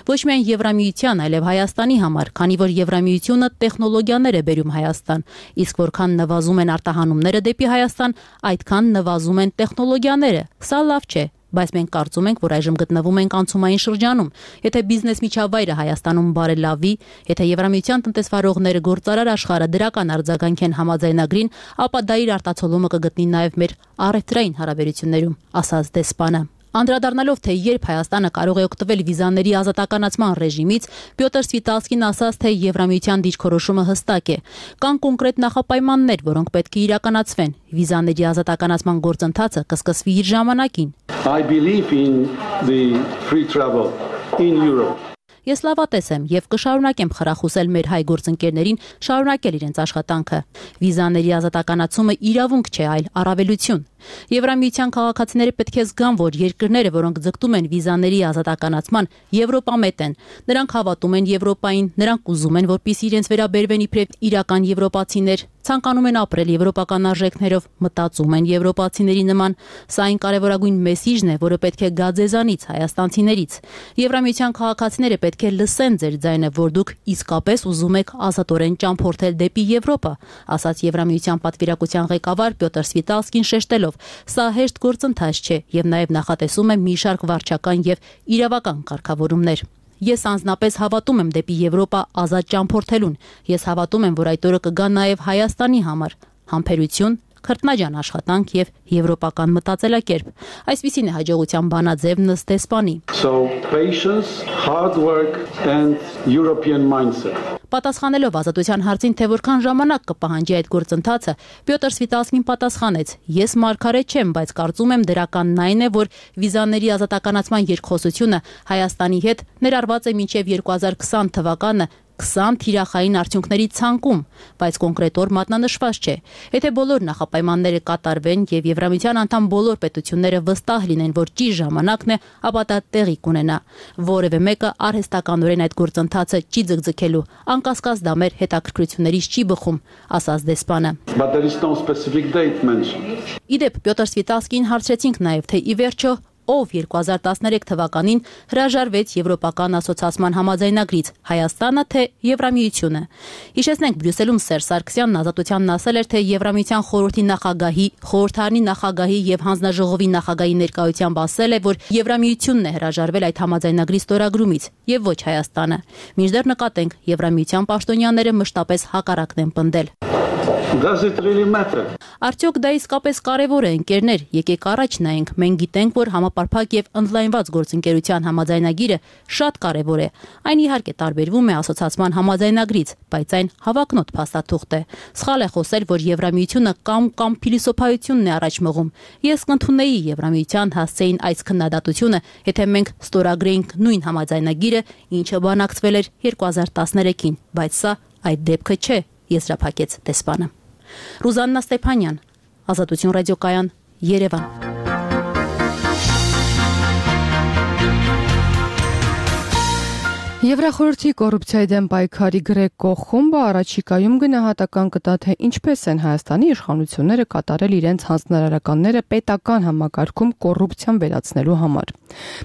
Ոչ միայն Եվրամիության, այլև Հայաստանի համար, քանի որ Եվրամիությունը տեխնոլոգիաներ է բերում Հայաստան, իսկ որքան նվազում են արտահանումները դեպի Հայաստան, այդքան նվազում են տեխնոլոգիաները։ Սա լավ չէ, բայց մենք կարծում ենք, որ այժմ գտնվում ենք անցումային շրջանում։ Եթե բիզնես միջավայրը Հայաստանում բարելավի, եթե Եվրամիության տնտեսվարողները գործարար աշխարհը դրական արձագանքեն համաձայնագրին, ապա դա իր արտացոլումը կգտնի նաև մեր առևտրային հարաբերություններում, ասաց դեսպանը։ Անդրադառնալով, թե երբ Հայաստանը կարող է օգտվել վիզաների ազատականացման ռեժիմից, Պյոտր Սվիտալսկին ասաց, թե Եվրամիության դիրքորոշումը հստակ է։ Կան կոնկրետ նախապայմաններ, որոնք պետք է իրականացվեն։ Վիզաների ազատականացման գործընթացը կսկսվի իր ժամանակին։ I believe in the free travel in Europe. Ես լավատես եմ եւ կշարունակեմ խրախուսել մեր հայ գործընկերներին շարունակել իրենց աշխատանքը։ Վիզաների ազատականացումը իրավունք չէ, այլ առավելություն։ Եվրամիության քաղաքացիները պետք է զգան, որ երկրները, որոնք ձգտում են վիզաների ազատականացման, եվրոպամետ են։ Նրանք հավատում են Եվրոպային, նրանք ուզում են, որպեսզի իրենց վերաբերվեն իբրև իրական եվրոպացիներ, ցանկանում են ապրել եվրոպական արժեքներով, մտածում են եվրոպացիների նման։ Սա այն կարևորագույն մեսիջն է, որը պետք է գա ձեզանից, հայաստանցիներից։ Եվրամիության քաղաքացիները պետք է լսեն ձեր ձայնը, որ դուք իսկապես ուզում եք ազատորեն ճամփորդել դեպի Եվրոպա, ասաց Եվրամիության պատվիրակության ղեկավար Պյոտր Սվիտալսկին շեշտելով. Սա հեշտ գործընթաց չէ եւ նաեւ նախատեսում է մի շարք վարչական եւ իրավական կարգավորումներ։ Ես անձնապես հավատում եմ դեպի Եվրոպա ազատ ճամփորդելուն։ Ես հավատում եմ, որ այդ օրը կգա նաեւ Հայաստանի համար համբերություն, քրտնաջան աշխատանք եւ եվրոպական մտածելակերպ։ Այսպիսին է հաջողության բանաձևն ըստ դեսպանի։ So patience, hard work and European mindset. Պատասխանելով ազատության հարցին, թե որքան ժամանակ կպահանջի այդ գործընթացը, Պյոտր Սվիտալսկին պատասխանեց. Ես մարգարե չեմ, բայց կարծում եմ դրականն այն է, որ վիզաների ազատականացման երկխոսությունը Հայաստանի հետ ներառված է մինչև երկու հազար քսան թվականը քսան թիրախային արդյունքների ցանկում, բայց կոնկրետ օր մատնանշված չէ։ Եթե բոլոր նախապայմանները կատարվեն եւ Եվրամիության անդամ բոլոր պետությունները վստահ լինեն, որ ճիշտ ժամանակն է, ապա դա տեղի կունենա։ Որևէ մեկը արհեստականորեն այդ գործընթացը չի ձգձգելու, անկասկած դա մեր հետաքրքրություններից չի բխում, ասաց դեսպանը։ Իդեպ Պյոտր Սվիտալսկին հարցրեցինք նաեւ, թե ի վերջո ով երկու հազար տասներեք թվականին հրաժարվեց Եվրոպական ասոցիացիան համաձայնագրից, Հայաստանը թե Եվրամիությունը։ Հիշեցնենք, Բրյուսելում Սերժ Սարգսյանն ազատությանն ասել էր, թե Եվրամիության խորհրդի նախագահի, խորհրդարանի նախագահի եւ հանձնաժողովի նախագահի ներկայությամբ ասել է, որ Եվրամիությունն է հրաժարվել այդ համաձայնագրի ստորագրումից եւ ոչ Հայաստանը։ Մինչդեռ նկատենք, Եվրամիության պաշտոնյաները մշտապես հակառակն են պնդել։ Does it really matter? Արդյոք դա իսկապես կարևոր է, ընկերներ, եկեք առաջ նայենք։ Մենք գիտենք, որ համապարփակ եւ ընդլայնված գործընկերության համաձայնագիրը շատ կարևոր է։ Այն իհարկե տարբերվում է ասոցիացիան համաձայնագրից, բայց այն հավակնոտ փաստաթուղթ է։ Սխալ է խոսել, որ Եվրամիությունը կամ կամ փիլիսոփայությունն է առաջ մղում։ Ես կընդունեի Եվրամիության հասցեին այս քննադատությունը, եթե մենք ստորագրեինք նույն համաձայնագիրը, ինչը բանակցվել էր երկու հազար տասներեքին, բայց սա այդ դեպքը չէ, եզրափակեց դեսպանը։ Ռուզաննա Ստեփանյան, Ազատություն ռադիոկայան, Երևան։ Եվրախորհրդի կոռուպցիայի դեմ պայքարի Գրեկո խումբը առաջիկայում գնահատական կտա, թե ինչպես են Հայաստանի իշխանությունները կատարել իրենց հանձնարարականները պետական համակարգում կոռուպցիան վերացնելու համար։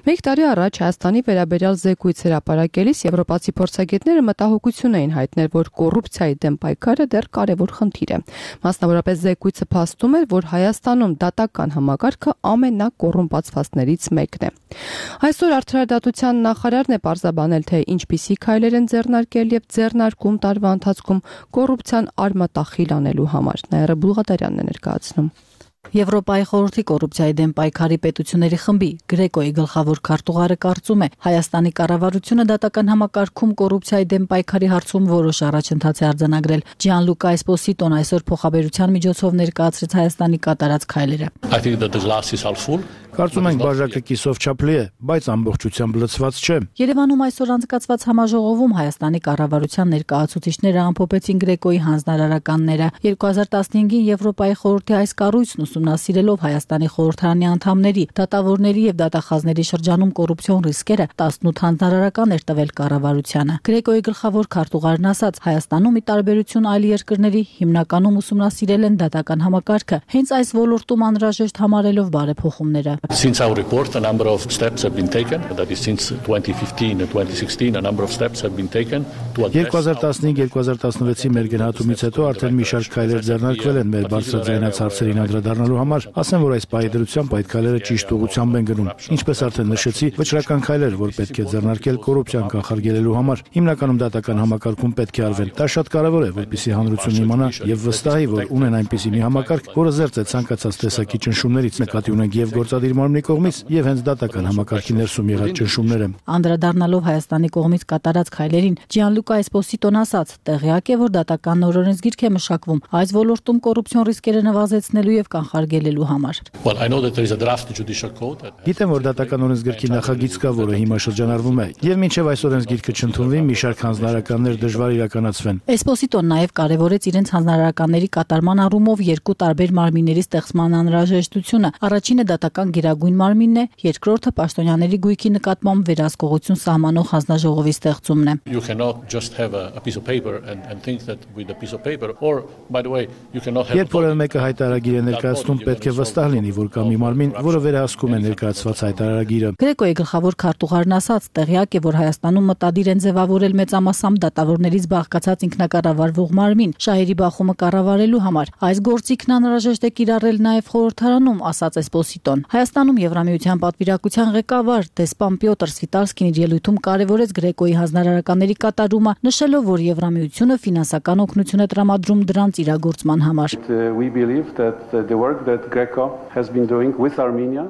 Մեկ տարի առաջ Հայաստանի վերաբերյալ զեկույց հրապարակելիս եվրոպացի փորձագետները մտահոգություն էին հայտնել, որ կոռուպցիայի դեմ պայքարը դեռ կարևոր խնդիր է։ Մասնավորապես զեկույցը փաստում էր, որ Հայաստանում դատական համակարգը ամենակոռումպացվածներից մեկն է։ Այսօր Արդարադատության նախարարն է պարզաբանել, թե ինչպիսի քայլեր են ձեռնարկել եւ ձեռնարկում տարվա ընթացքում կոռուպցիան արմատախիլ անելու համար։ Նաիրա Բուլղադարյանն է ներկայացնում։ Եվրոպայի խորհրդի կոռուպցիայի դեմ պայքարի պետությունների խմբի Գրեկոյի գլխավոր քարտուղարը կարծում է, Հայաստանի կառավարությունը դատական համակարգում կոռուպցիայի դեմ պայքարի հարցում որոշ առաջընթաց է արձանագրել։ Ջիանլուկա Էսպոսիտոն այսօր փոխաբերության միջոցով ներկայացրեց Հայաստանի կատարած քայլերը։ Կարծում ենք բաժակը կիսով չափլի է, բայց ամբողջությամբ լցված չէ։ Երևանում այսօր անցկացված համաժողովում Հայաստանի կառավարության ներկայացուցիչները ամփոփեցին Գրեկոյի հանձնարարականները։ երկու հազար տասնհինգին Եվրոպայի խորհրդի այս կառույցն ուսումնասիրելով Հայաստանի խորհրդարանի անդամների, դատավորների եւ դատախազների շրջանում կոռուպցիոն ռիսկերը տասնութ հանձնարարական էր տվել կառավարությանը։ Գրեկոյի գլխավոր քարտուղարն ասաց, Հայաստանում ի տարբերություն այլ երկրների հիմնականում ուսումնասիրել են դատական համակարգը, հենց այս ոլորտում անհրաժեշտ համարելով բարեփոխումները։ Since our report, a number of steps have been taken. That is, since twenty fifteen and twenty sixteen, a number of steps have been taken to address. երկու հազար տասնհինգ երկու հազար տասնվեցի մեր գնահատումից հետո արդեն մի շարք քայլեր ձեռնարկվել են մեր բարձրաձայնած հարցերին անդրադառնալու համար։ Ասեմ, որ այս պահի դրությամբ այդ քայլերը ճիշտ ուղղությամբ են գնում։ Ինչպես արդեն նշեցի, վճռական քայլեր, որ պետք է ձեռնարկել կոռուպցիան կանխարգելելու համար, հիմնականում դատական համակարգում պետք է արվեն։ Դա շատ կարևոր է, որպեսզի հանրությունն իմանա եւ վստահի, որ ունեն այնպիսի մի համակարգ, որը զերծ է ցանկացած տեսակի ճնշումներից, նկատի ունենք եւ գործադիր մարմնի կողմից եւ հենց դատական համակարգի ներսում եղած ճնշումները։ Անդրադառնալով Հայաստանի կողմից կատարած քայլերին, Ջիանլուկա Էսպոսիտոն ասաց, տեղյակ է, որ դատական օրենսգիրք է մշակվում այս ոլորտում կոռուպցիոն ռիսկերը նվազեցնելու եւ կանխարգելելու համար։ Well, I know that there is a draft judicial code. Գիտեմ, որ դատական օրենսգիրքի նախագիծ կա, որը հիմա շրջանառվում է, եւ մինչեւ այս օրենսգիրքը չընդունվի, մի շարք հանձնարարականներ դժվար իրականացվեն։ Էսպոսիտոն նաեւ կարեւորեց իրենց հանձնարարականների կատարման առումով երկու տարբեր մարմինների ստեղծման անհրաժեշտությունը։ Առաջինը դատական գերագույն մարմինն է, երկրորդը պաշտոնյաների գույքի նկատմամբ վերահսկողություն սահմանող հանձնաժողովի ստեղծումն է։ You cannot just have a, a piece of paper and and think that with a piece of paper or by the way you cannot have. Երբ որ մեկը հայտարարագիր է ներկայացնում, պետք է վստահ լինի, որ կա մի մարմին, որը վերահսկում է ներկայացված հայտարարագիրը։ Գրեկոյի գլխավոր քարտուղարն ասաց, տեղյակ է, որ Հայաստանում մտադիր են ձևավորել մեծամասամբ դատավորներից բաղկացած ինքնակառավարվող մարմին շահերի բախումը կառավարելու համար։ Այս գործիքն անհրաժեշտ է կիրառել նաև խորհրդարանում, ասաց Էսպոսիտոն։ Հայաստանում Եվրամիության պատվիրակության ղեկավար դեսպան Պյոտր Սվիտալսկին իր ելույթում կարևորեց Գրեկոյի հանձնարարականների կատարումը, նշելով, որ Եվրամիությունը ֆինանսական օգնություն է տրամադրում դրանց իրագործման համար։ work that Greco has been doing with Armenia.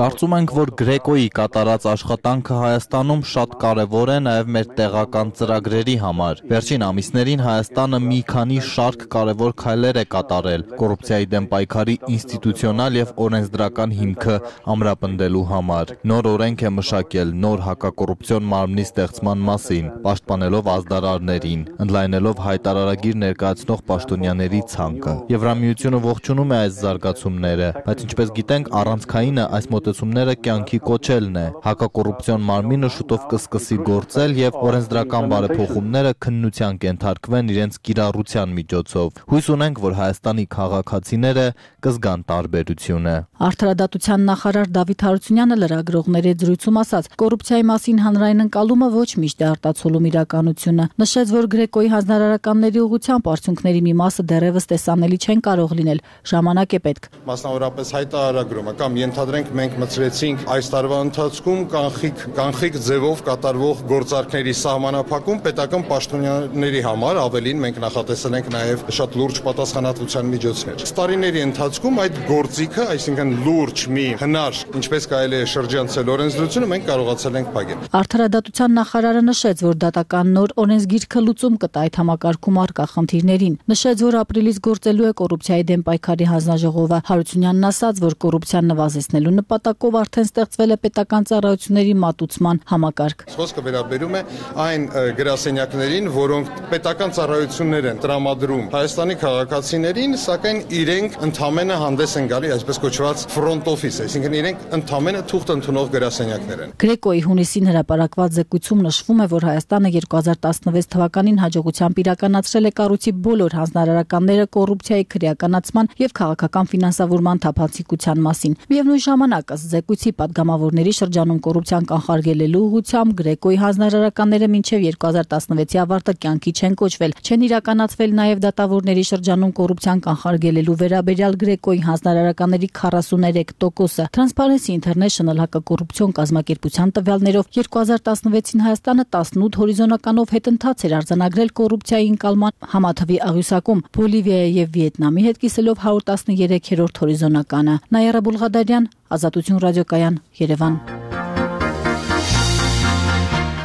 Կարծում ենք, որ Գրեկոյի կատարած աշխատանքը Հայաստանում շատ կարևոր է նաև մեր տեղական ծրագրերի համար։ Վերջին ամիսներին Հայաստանը մի քանի շարք կարևոր քայլեր է կատարել կոռուպցիայի դեմ պայքարի ինստիտուցիոնալ եւ օրենսդրական հիմքը ամրապնդելու համար։ Նոր օրենք է մշակել նոր հակակոռուպցիոն մարմնի ստեղծման մասին, պաշտպանելով ազդարարներին, ընդլայնելով հայտարարագիր ներկայացնող պաշտոնյաների ցանկը։ Եվրամիությունը ողջունում է այս զարգացումները, բայց ինչպես գիտենք, առանցքայինը այս մոտեցումները կյանքի կոչելն է։ Հակակոռուպցիոն մարմինը շուտով կսկսի գործել եւ օրենսդրական բարեփոխումները քննության կենթարկվեն իրենց կիրառության միջոցով։ Հույս ունենք, որ Հայաստանի քաղաքացիները կզգան տարբերությունը։ Արդարադատության նախարար Դավիթ Հարությունյանը լրագրողների զրույցում ասաց, կոռուպցիայի մասին հանրային ընկալումը ոչ միշտ է արտացոլում իրականությունը։ Նշեց, որ Գրեկոյի հանձնարարականների ուղղությամբ արդյունքների մի մասը դեռևս տեսանելի չեն կարող լինել, ժամանակ է պետք։ Մասնավորապես հայտարարագրումը կամ ենթադրենք մենք մտցրեցինք այս տարվա ընթացքում կանխիկ կանխիկ ձևով կատարվող գործարքների սահմանափակում պետական պաշտոնյաների համար, ավելին մենք նախատեսել ենք նաև շատ լուրջ պատասխանատվության միջոցներ։ Տարիների ընթացքում այդ գործիքը, այսինքն լուրջ մի հնար, ինչպես կարելի է շրջանցել օրենսդրությունը, մենք կարողացել ենք փակել։ Արդարադատության նախարարը նշեց, որ դատական նոր օրենսգիրքը լուծում կտա այդ համակարգում առկա խնդիրներին։ Նշեց, որ ապրիլից գործելու է կոռուպցիայի դեմ պայքարի հանձնաժողովը։ Հարությունյանն ասաց, որ կոռուպցիան նվազեցնելու նպատակով արդեն ստեղծվել է պետական ծառայությունների մատուցման համակարգ։ Խոսքը վերաբերում է այն գրասենյակներին, որոնք պետական ծառայություններ են տրամադրում Հայաստանի քաղաքացիներին, սակայն իրենք ընդամենը հանդես են գալի այսպես կոչված front office, այսինքն իրենք ընդամենը թուղթ ընդունող գրասենյակներ են։ Գրեկոյի հունիսին հրապարակված զեկույցում նշվում է, որ Հայաստանը երկու հազար տասնվեց թվականին հաջողությամբ իրականացրել է կառույցի բոլոր հանձնարարականները կոռուպցիայի քրեականացման եւ քաղաքական ֆինանսավորման թափանցիկության մասին։ Միևնույն ժամանակ, ըստ զեկույցի պատգամավորների շրջանում կոռուպցիան կանխարգելելու ուղղությամբ Գրեկոյի հանձնարարականները մինչեւ երկու հազար տասնվեցի ավարտը կյանքի չեն կոչվել, չեն իրականացվել նաեւ դատավորների շրջանում կոռուպցիան կանխարգելելու վերաբերյալ Գրեկոյի հանձնարարականների քառասուներեք տոկոսը։ Transparency International հակակոռուպցիոն կազմակերպության տվյալներով երկու հազար տասնվեցին Հայաստանը տասնութ հորիզոնականով հետընթաց էր արձանագրել կոռուպցիայի ընկալման համաթվի աղյուսակում, Բոլիվիայի եւ Վիետնամի հետ կիսելով հարյուր տասներեք-րդ հորիզոնականը։ Նայարա Բուլղադարյան, Ազատություն ռադիոկայան, Երևան։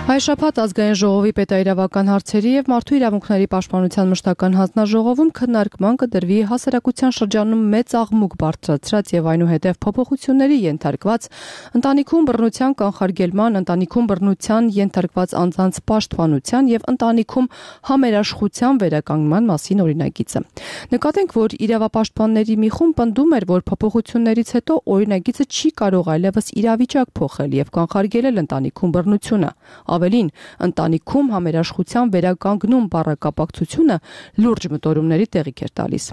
Հայշաբաթ ազգային ժողովի պետաիրավական հարցերի եւ մարդու իրավունքների պաշտպանության մշտական հանձնաժողովում քննարկման կդրվի հասարակության շրջանում մեծ աղմուկ բարձրացրած եւ այնուհետեւ փոփոխությունների ենթարկված ընտանիքում բռնության կանխարգելման, ընտանիքում բռնության ենթարկված անձանց պաշտպանության եւ ընտանիքում համերաշխության վերականգնման մասին օրինագիծը։ Նկատենք, որ իրավապաշտպանների մի խումբ պնդում էր, որ փոփոխություններից հետո օրինագիծը չի կարող այլևս իրավիճակ փոխել եւ կանխարգելել ընտանիքում բռնությունը։ Ավելին, ընտանիքում համերաշխության վերականգնում բառակապակցությունը լուրջ մտորումների տեղիք էր տալիս։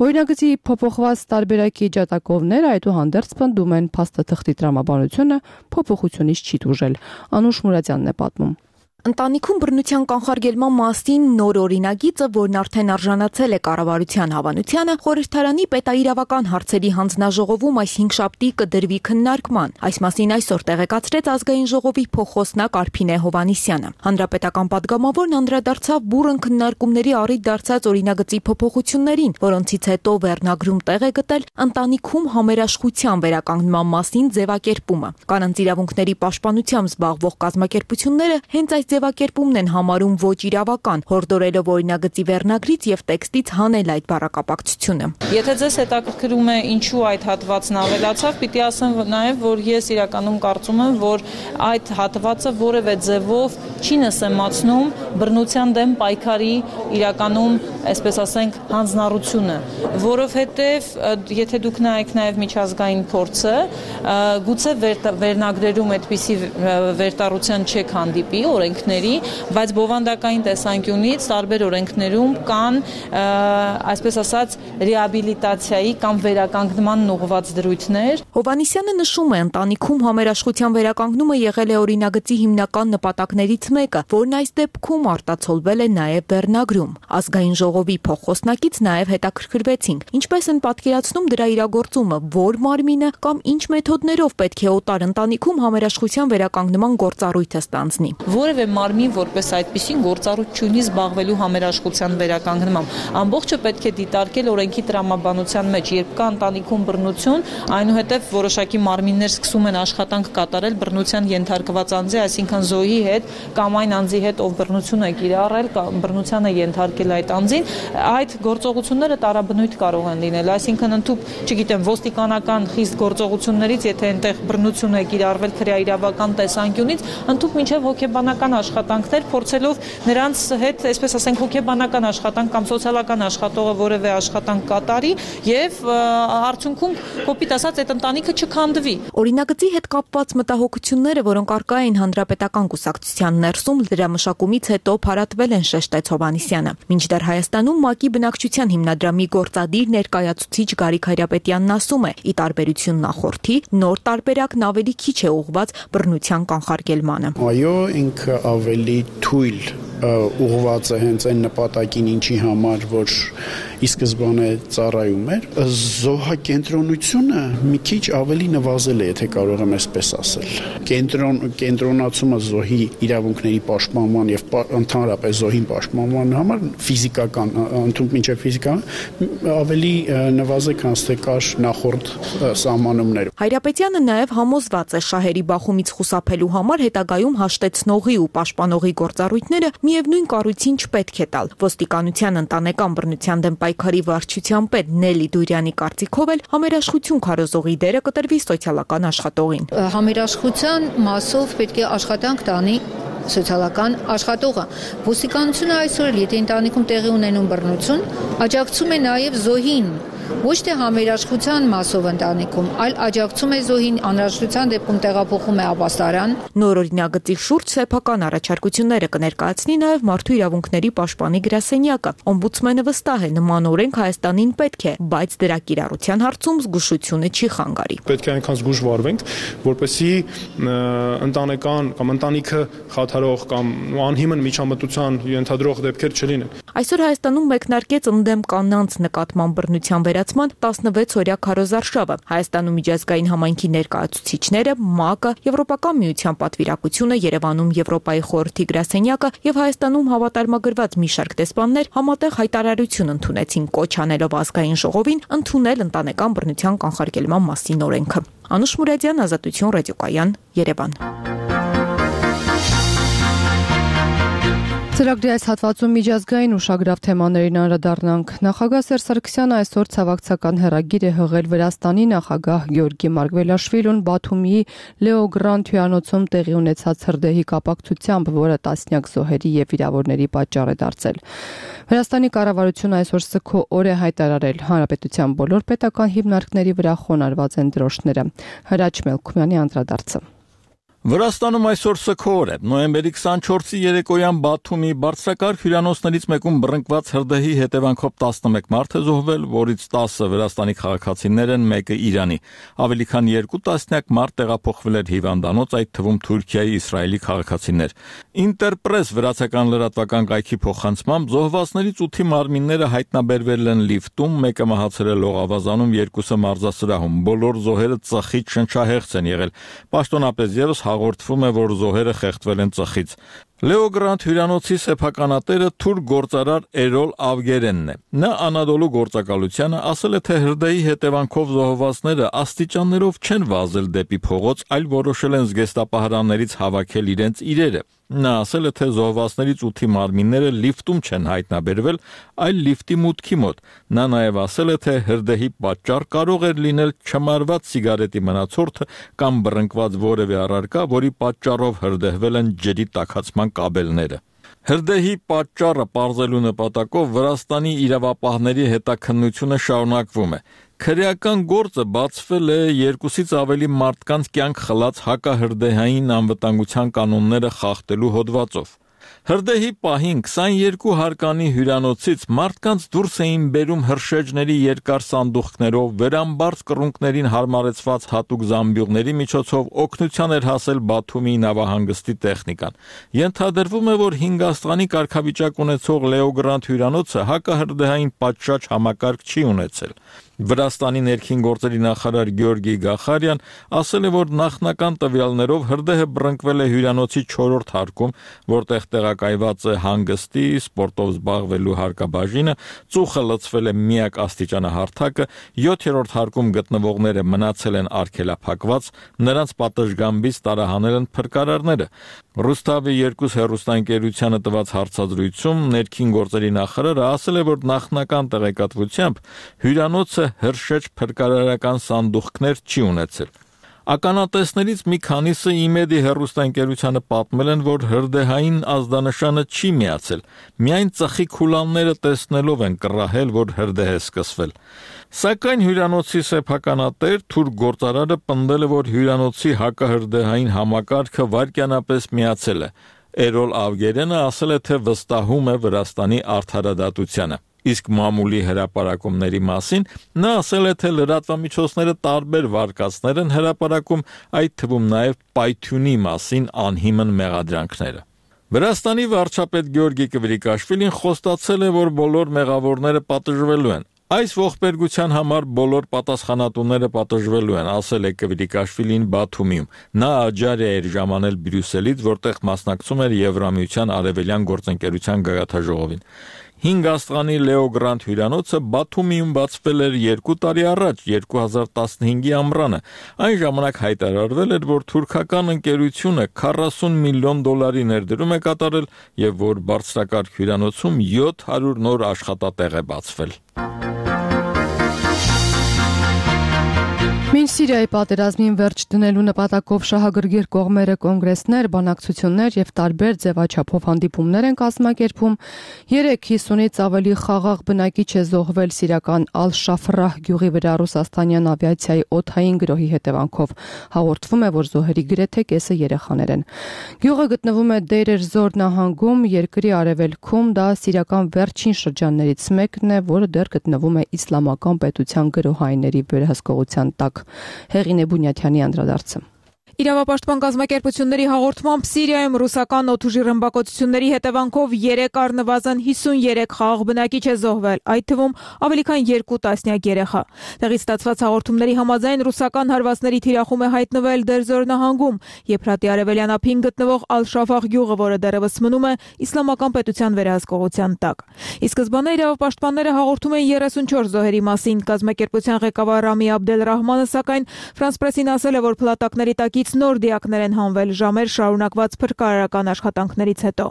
Օրինագծի փոփոխված տարբերակի ջատագովները այդուհանդերձ պնդում են փաստաթղթի տրամաբանությունը փոփոխությունից չի դժել։ Անուշ Մուրադյանն է պատմում։ Ընտանիքում բռնության կանխարգելման մասին նոր օրինագիծը, որն արդեն արժանացել է կառավարության հավանությանը, խորհրդարանի պետաիրավական հարցերի հանձնաժողովում այս հինգշաբթի կդրվի քննարկման։ Այս մասին այսօր տեղեկացրեց ազգային ժողովի փոխոսնակ Արփինե Հովհաննիսյանը։ Հանրապետական պատգամավորն անդրադարձավ բուռն քննարկումների առիթ դարձած օրինագծի փոփոխություններին, որոնցից հետո վերնագրում տեղ է գտել ընտանիքում համերաշխության վերականգնման մասին ձևակերպումը։ Կանանց իրավունքների պաշտպանությամբ զբաղվող կազմակերպությունները հենց այս ձևակերպումն են համարում ոչ իրավական, հորդորելով օրինագծի վերնագրից եւ տեքստից հանել այդ բառակապակցությունը։ Եթե ձեզ հետաքրքրում է ինչու այդ հատվածն ավելացավ, պիտի ասեմ նաեւ, որ ես իրականում կարծում եմ, որ այդ հատվածը որևէ ձևով չի նսեմացնում բռնության դեմ պայքարի իրականում, այսպես ասենք, հանձնառությունը, որովհետեւ եթե դուք նայեք նաեւ միջազգային փորձը, գուցե վերնագրերում այդպիսի վերտառության չեք հանդիպի օրենքների, բայց բովանդակային տեսանկյունից տարբեր օրենքներում կան, այսպես ասած, ռեաբիլիտացիայի կամ վերականգնման ուղղված դրույթներ։ Հովհաննիսյանը նշում է, ընտանիքում համերաշխության վերականգնումը եղել է օրինագծի հիմնական նպատակներից մեկը, որն այս դեպքում արտացոլվել է նաև վերնագրում։ Ազգային ժողովի փոխոսնակից նաև հետաքրքրվեցինք, ինչպես են պատկերացնում դրա իրագործումը, որ մարմինը կամ ինչ մեթոդներով պետք է օտար ընտանիքում համերաշխության վերականգնման գործառույթը ստանձնի։ Որևէ մարմին որպես այդպեսին գործառույթ չունի զբաղվելու համերաշխության վերականգնմամբ։ Ամբողջը պետք է դիտարկել օրենքի տրամաբանության մեջ, երբ կա ընտանիքում բռնություն, այնուհետև որոշակի մարմիններ սկսում են աշխատանք կատարել բռնության ենթարկված անձի, այսինքն զոհի հետ կամ այն անձի հետ, ով բռնություն է կիրառել, բռնության է ենթարկել այդ անձին, այդ գործողությունները տարաբնույթ կարող են լինել, այսինքն ընդհանուր, չգիտեմ, ոստիկանական խիստ գործողություններից, եթե այնտեղ բռնություն է կիրառվել քրեաիրավական տեսանկյունից, ընդհանուր մինչև հոգեբանական աշխատանքներ, փորձելով նրանց հետ, այսպես ասենք, հոգեբանական աշխատանք կամ սոցիալական աշխատողը որևէ աշխատանք կատարի եւ արդյունքում կոպիտ ասած այդ ընտանիքը չքանդվի։ Օրինագծի հետ կապված մտահոգությունները, որոնք առկա էին հանրապետական կուսակցության ներսում, լրամշակումից հետո փարատվել են, շեշտեց Հովհաննիսյանը։ Մինչդեռ Հայաստանում ՄԱԿ-ի բնակչության հիմնադրամի գործադիր ներկայացուցիչ Գարիկ Հայրապետյանն ասում է, ի տարբերություն նախորդի, նոր տարբերակն ավելի քիչ է ուղղված բռնության կանխարգելմանը։ Այո, ինքը ավելի թույլ ուղղված է հենց այն նպատակին, ինչի համար որ ի սկզբանե ծառայում էր, զոհակենտրոնությունը մի քիչ ավելի նվազել է, եթե կարող եմ այսպես ասել։ Կենտրոն կենտրոնացումը զոհի իրավունքների պաշտպանման եւ ընդհանրապես զոհին պաշտպանման համար ֆիզիկական, ընդհանուր մինչև ֆիզիկական ավելի նվազ է, քան թե կար նախորդ սահմանումներում։ Հայրապետյանը նաև համոզված է շահերի բախումից խուսափելու համար հետագայում հաշտեցնողի ու պաշտպանողի գործառույթները միևնույն կառույցին չպետք է տալ։ Ոստիկանության ընտանեկան բռնության դեմ պայքարի վարչության պետ Նելի Դուրյանի կարծիքով էլ համերաշխություն քարոզողի դերը կտրվի սոցիալական աշխատողին։ Համերաշխության մասով պետք է աշխատանք տանի սոցիալական աշխատողը։ Ոստիկանությունը այսօր, եթե ընտանիքում տեղի ունենում բռնություն, աջակցում է նաև զոհին, ոչ թե համերաշխության մասով ընտանիքում, այլ աջակցում է զոհին, անհրաժեշտության դեպքում տեղափոխում է ապաստարան։ Նոր օրինագծի շուրջ սեփական առաջարկությունները կներկայացնի նաև մարդու իրավունքների պաշտպանի գրասենյակը։ Օմբուդսմենը վստահ է, նման օրենք Հայաստանին պետք է, բայց դրա կիրառության հարցում զգուշությունը չի խանգարի։ Պետք է այնքան զգուշ վարվենք, որպեսզի ընտանեկան կամ ընտանիքը խաթարող կամ անհիմն միջամտության ենթադրող դեպքեր չլինեն։ Այսօր Հայաստանում մեկնարկեց ընդդեմ կանանց նկատմամբ բռնության վերացման տասնվեց-օրյա քարոզարշավը։ Հայաստանում միջազգային համայնքի ներկայացուցիչները, ՄԱԿ-ը, Եվրոպական միության պատվիրակությունը, Երևանում Եվրոպայի խորհրդի գրասենյակը եւ Հայաստանում հավատարմագրված մի շարք դեսպաններ համատեղ հայտարարություն ընդունեցին, կոչ անելով ազգային ժողովին ընդունել ընտանեկան բռնության կանխարգելման մասին օրենքը։ Անուշ Մուրադյան, Ազատություն, Ռադիոկայան, Երևան։ Ծրագրի այս հատվածում միջազգային ուշագրավ թեմաներին անդրադառնանք։ Նախագահ Սերժ Սարգսյանը այսօր ցավակցական հեռագիր է հղել Վրաստանի նախագահ Գեորգի Մարգվելաշվիլուն Բաթումի Լեո Գրանդ հյուրանոցում տեղի ունեցած հրդեհի կապակցությամբ, որը տասնյակ զոհերի եւ վիրավորների պատճառ է դարձել։ Վրաստանի կառավարությունը այսօր սգո օր է հայտարարել, հանրապետության բոլոր պետական հիմնարկների վրա խոնարհված են դրոշները։ Հրաչ Մելքումյանի անդրադարձը։ Վրաստանում այսօր սգո օր է։ Նոյեմբերի քսանչորսի երեկոյան Բաթումի բարձրակարգ հյուրանոցներից մեկում բռնկված հրդեհի հետևանքով տասնմեկ մարդ է զոհվել, որից տասը Վրաստանի քաղաքացիներ են, մեկը Իրանի։ Ավելի քան երկու տասնյակ մարդ տեղափոխվել էր հիվանդանոց, այդ թվում Թուրքիայի, Իսրայելի քաղաքացիներ։ Ինտերպրես վրացական լրատվական կայքի փոխանցմամբ զոհվածներից ութի մարմինները հայտնաբերվել են լիֆտում, մեկը մահացել է լողավազանում, երկուսը մարզասրահում։ Բոլոր զոհերը ծխից շնչահեղձ են եղել։ Պաշտոնապես ևս հաղորդվում է, որ զոհերը խեղդվել են ծխից։ Լեո Գրանդ հյուրանոցի սեփականատերը թուրք գործարար Էրոլ Ավգերենն է։ Նա Անադոլու գործակալությանը ասել է, թե հրդեհի հետևանքով զոհվածները աստիճաններով չեն վազել դեպի փողոց, այլ որոշել են զգեստապահարաններից հավաքել իրենց իրերը։ Նա ասել է, թե զոհվածներից ութի մարմինները լիֆտում չեն հայտնաբերվել, այլ լիֆտի մուտքի մոտ։ Նա նաև ասել է, թե հրդեհի պատճառ կարող էր լինել չմարված սիգարետի մնացորդը կամ բռնկված որևէ առարկա, որի պատճառով հրդեհվել են ջրի տաքացման կաբելները։ Հրդեհի պատճառը պարզելու նպատակով Վրաստանի իրավապահների հետաքննությունը շարունակվում է։ Քրեական գործը բացվել է երկուսից ավելի մարդկանց կյանք խլած հակահրդեհային անվտանգության կանոնները խախտելու հոդվածով։ Հրդեհի պահին քսաներկու հարկանի հյուրանոցից մարդկանց դուրս էին բերում հրշեջների երկար սանդուղքներով, վերամբարձ կռունկներին հարմարեցված հատուկ զամբյուղների միջոցով օգնության էր հասել Բաթումի նավահանգստի տեխնիկան։ Ենթադրվում է, որ հինգ աստղանի կարգավիճակ ունեցող Լեո Գրանդ հյուրանոցը հակահրդեհային պատշաճ համակարգ չի ունեցել։ Վրաստանի ներքին գործերի նախարար Գյորգի Գախարյան ասել է, որ նախնական տվյալներով հրդեհը բռնկվել է հյուրանոցի չորրորդ հարկում, որտեղ տեղակայված է հանգստի, սպորտով զբաղվելու հարկաբաժինը, ծուխը լցվել է միակ աստիճանահարթակը, յոթերորդ հարկում գտնվողները մնացել են արգելափակված, նրանց պատշգամբից տարահանել են փրկարարները։ Ռուստավի երկուս հեռուստաընկերությանը տված հարցազրույցում ներքին գործերի նախարարը ասել է, որ նախնական տեղեկատվությամբ հյուրանոցը հրշեջ փրկարարական սանդուղքներ չի ունեցել։ Ականատեսներից մի քանիսը իմեդի հեռուստաընկերությանը պատմել են, որ հրդեհային ազդանշանը չի միացել, միայն ծխի քուլանները տեսնելով են կռահել, որ հրդեհ է սկսվել։ Սակայն հյուրանոցի սեփականատեր թուրք գործարարը պնդել է, որ հյուրանոցի հակահրդեհային համակարգը վայրկյանապես միացել է։ Էրոլ Ավգերենը ասել է, թե վստահում է Վրաստանի արդարադատությանը։ Իսկ մամուլի հրապարակումների մասին նա ասել է, թե լրատվամիջոցները տարբեր վարկածներ են հրապարակում, այդ թվում նաև պայթյունի մասին անհիմն մեղադրանքները։ Վրաստանի վարչապետ Գյորգի Կվրիկաշվիլին խոստացել է, որ բոլոր մեղավորները պատժվելու են։ Այս ողբերգության համար բոլոր պատասխանատուները պատժվելու են, ասել է Կվրիկաշվիլին Բաթումիում։ Նա աջար էր ժամանել Բրյուսելից, որտեղ մասնակցում էր Եվրամիության արևելյան գործընկերության գագաթաժողովին։ Հինգ աստղանի Լեո Գրանդ հյուրանոցը Բաթումիում բացվել էր երկու տարի առաջ, երկու հազար տասնհինգի ամռանը։ Այն ժամանակ հայտարարվել էր, որ թուրքական ընկերությունը քառասուն միլիոն դոլարի ներդրում է կատարել եւ որ բարձրակարգ հյուրանոցում յոթ հարյուր նոր աշխատատեղ է բացվել։ Մինչ Սիրիայի պատերազմին վերջ դնելու նպատակով շահագրգիռ կողմերը կոնգրեսներ, բանակցություններ եւ տարբեր ձևաչափով հանդիպումներ են կազմակերպում, երեք հիսունից ավելի խաղաղ բնակիչ է զոհվել սիրիական Ալ-Շաֆրահ գյուղի վրա ռուսաստանյան ավիացիայի օդային գրոհի հետևանքով։ Հաղորդվում է, որ զոհերի գրեթե կեսը երեխաներ են։ Գյուղը գտնվում է Դեյր ez-Զոր նահանգում, երկրի արևելքում, դա սիրիական վերջին շրջաններից մեկն է, որը դեռ գտնվում է իսլամական պետության գրոհայինների վերահսկողության տակ։ Հեղինե Բունյաթյանի անդրադարձը։ Իրավապաշտպան կազմակերպությունների հաղորդմամբ Սիրիայում ռուսական օդուժի ռմբակոծությունների հետևանքով երեք առնվազն հիսունյերեք խաղաղ բնակիչ է զոհվել, այդ թվում ավելի քան երկու տասնյակ երեխա։ Տեղից ստացված հաղորդումների համաձայն ռուսական հարվածների թիրախում է հայտնվել Դերզոր նահանգում, Եփրատի արևելյան ափին գտնվող Ալ-Շաֆաղ գյուղը, որը դեռևս մնում է իսլամական պետության վերահսկողության տակ։ Ի սկզբանե իրավապաշտպանները հաղորդում են երեսունչորս զոհերի մասին, կազմակերպության ղեկավար Ռամի Աբդել-Ռահմանը սակայն Ֆրանս պրեսին ասել է, որ փլատակների տակից նոր դիակներ են հանվել ժամեր շարունակված փրկարարական աշխատանքներից հետո։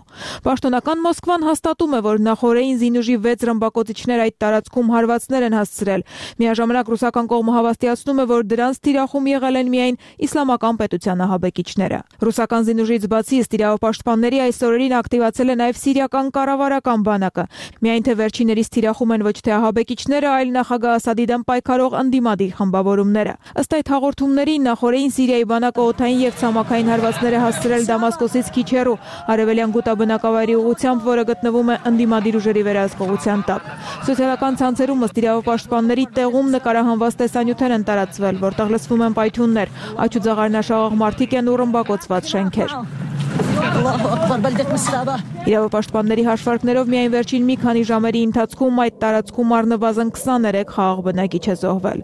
Պաշտոնական Մոսկվան հաստատում է, որ նախօրեին զինուժի վեց ռմբակոծիչներ այդ տարածքում հարվածներ են հասցրել։ Միաժամանակ ռուսական կողմը հավաստիացնում է, որ դրանց թիրախում եղել են միայն իսլամական պետության ահաբեկիչները։ Ռուսական զինուժից բացի ըստ իրավապաշտպանների այս օրերին ակտիվացել է նաև սիրիական կառավարական բանակը։ Միայն թե վերջիներից թիրախում են ոչ թե ահաբեկիչները, այլ նախագահ Ասադի դեմ պայքարող ընդդիմադիր խմբավորումները։ Ըստ այդ հաղորդումների նախօրեին Սիրիայի բանակը օդային եւ ցամաքային հարվածներ է հասցրել Դամասկոսից քիչ հեռու արևելյան Գուտա բնակավայրի ուղղությամբ, որը գտնվում է ընդդիմադիր ուժերի վերահսկողության տակ։ Սոցիալական ցանցերում ըստ իրավապաշտպանների տեղում նկարահանված տեսանյութեր են տարածվել, որտեղ լսվում են պայթյուններ, աչու ձաղարնաշաղող մարդիկ են ու ռմբակոծված շենքեր։ Իրավապաշտպանների հաշվարկներով միայն վերջին մի քանի ժամերի ընթացքում այդ տարածքում առնվազն քսաներեք խաղաղ բնակիչ է զոհվել։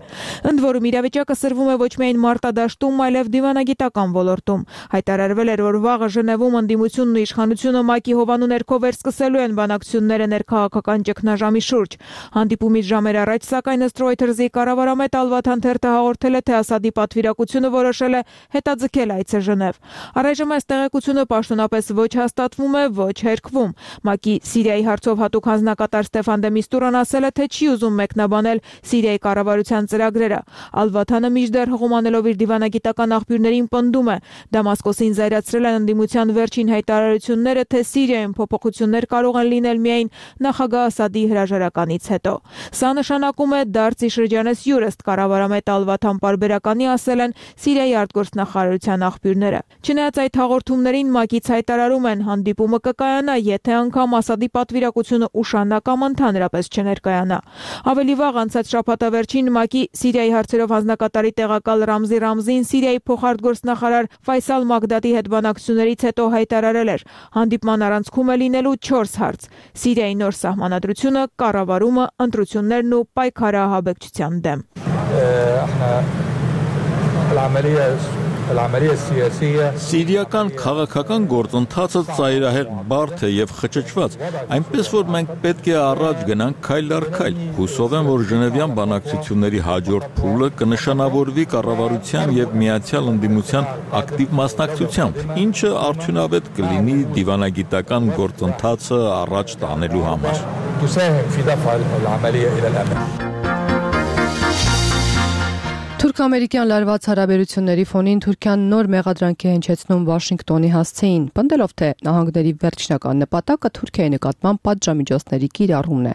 Ընդ որում իրավիճակը սրվում է ոչ միայն մարտադաշտում, այլև դիվանագիտական ոլորտում։ Հայտարարվել էր, որ վաղը Ժնևում ընդդիմությունն ու իշխանությունը ՄԱԿ-ի հովանու ներքո վերսկսելու են բանակցությունները ներքաղաքական ճգնաժամի շուրջ։ Հանդիպումից ժամեր առաջ, սակայն ըստ Reuters-ի կառավարամետ Ալ-Վաթան թերթը հաղորդել է, թե Ասադի պատվիրակությունը որոշել է հետաձգել այցը Ժնև։ Առայժմ այս տեղեկությունը պաշտոնապես ոչ հաստատվում է, ոչ հերքվում։ ՄԱԿ-ի Սիրիայի հարցով հատուկ հանձնակատար Ստեֆան դե Միստուրան ասել է, թե չի ուզում մեկնաբանել Սիրիայի կառավարության ծրագրերը։ Ալ-Վաթանը մինչդեռ հղումանելով իր դիվանագիտական աղբյուրներին պնդում է, Դամասկոսին զայրացրել են ընդդիմության վերջին հայտարարությունները, թե Սիրիայում փոփոխություններ կարող են լինել միայն նախագահ Ասադի հրաժարականից հետո։ Սա նշանակում է դարձի շրջանես յուր, ըստ կառավարամետ Ալ-Վաթան պարբերականի ասել են Սիրիայի արտգործնախարարության աղբյուրները։ Չնայած այդ հաղորդումներին ՄԱԿ-ից հայտարարում են, հանդիպումը կկայանա, եթե անգամ Ասադի պատվիրակությունը ուշանա կամ ընդհանրապես չներկայանա։ Ավելի վաղ անցած շաբաթավերջին ՄԱԿ-ի Սիրիայի հարցերով հանձնակատարի տեղակալ Ռամզի Ռամզին Սիրիայի փոխարտգործնախարար Ֆայսալ Մագդադի հետ բանակցություններից հետո հայտարարել էր, հանդիպման առանցքում է լինելու չորս հարց՝ Սիրիայի նոր սահմանադրությունը, կառավարումը, ընտրություններն ու պայքարը ահաբեկչության դեմ։ Սիրիական քաղաքական գործընթացը ծայրահեղ բարդ է եւ խճճված, այնպես որ մենք պետք է առաջ գնանք քայլ առ քայլ։ Հուսով եմ, որ Ժնևյան բանակցությունների հաջորդ փուլը կնշանավորվի կառավարության եւ միացյալ ընդդիմության ակտիվ մասնակցությամբ, ինչը արդյունավետ կլինի դիվանագիտական գործընթացը առաջ տանելու համար։ Թուրք-ամերիկյան լարված հարաբերությունների ֆոնին Թուրքիան նոր մեղադրանք է հնչեցնում Վաշինգտոնի հասցեին, պնդելով, թե նահանգների վերջնական նպատակը Թուրքիայի նկատմամբ պատժամիջոցների կիրառումն է։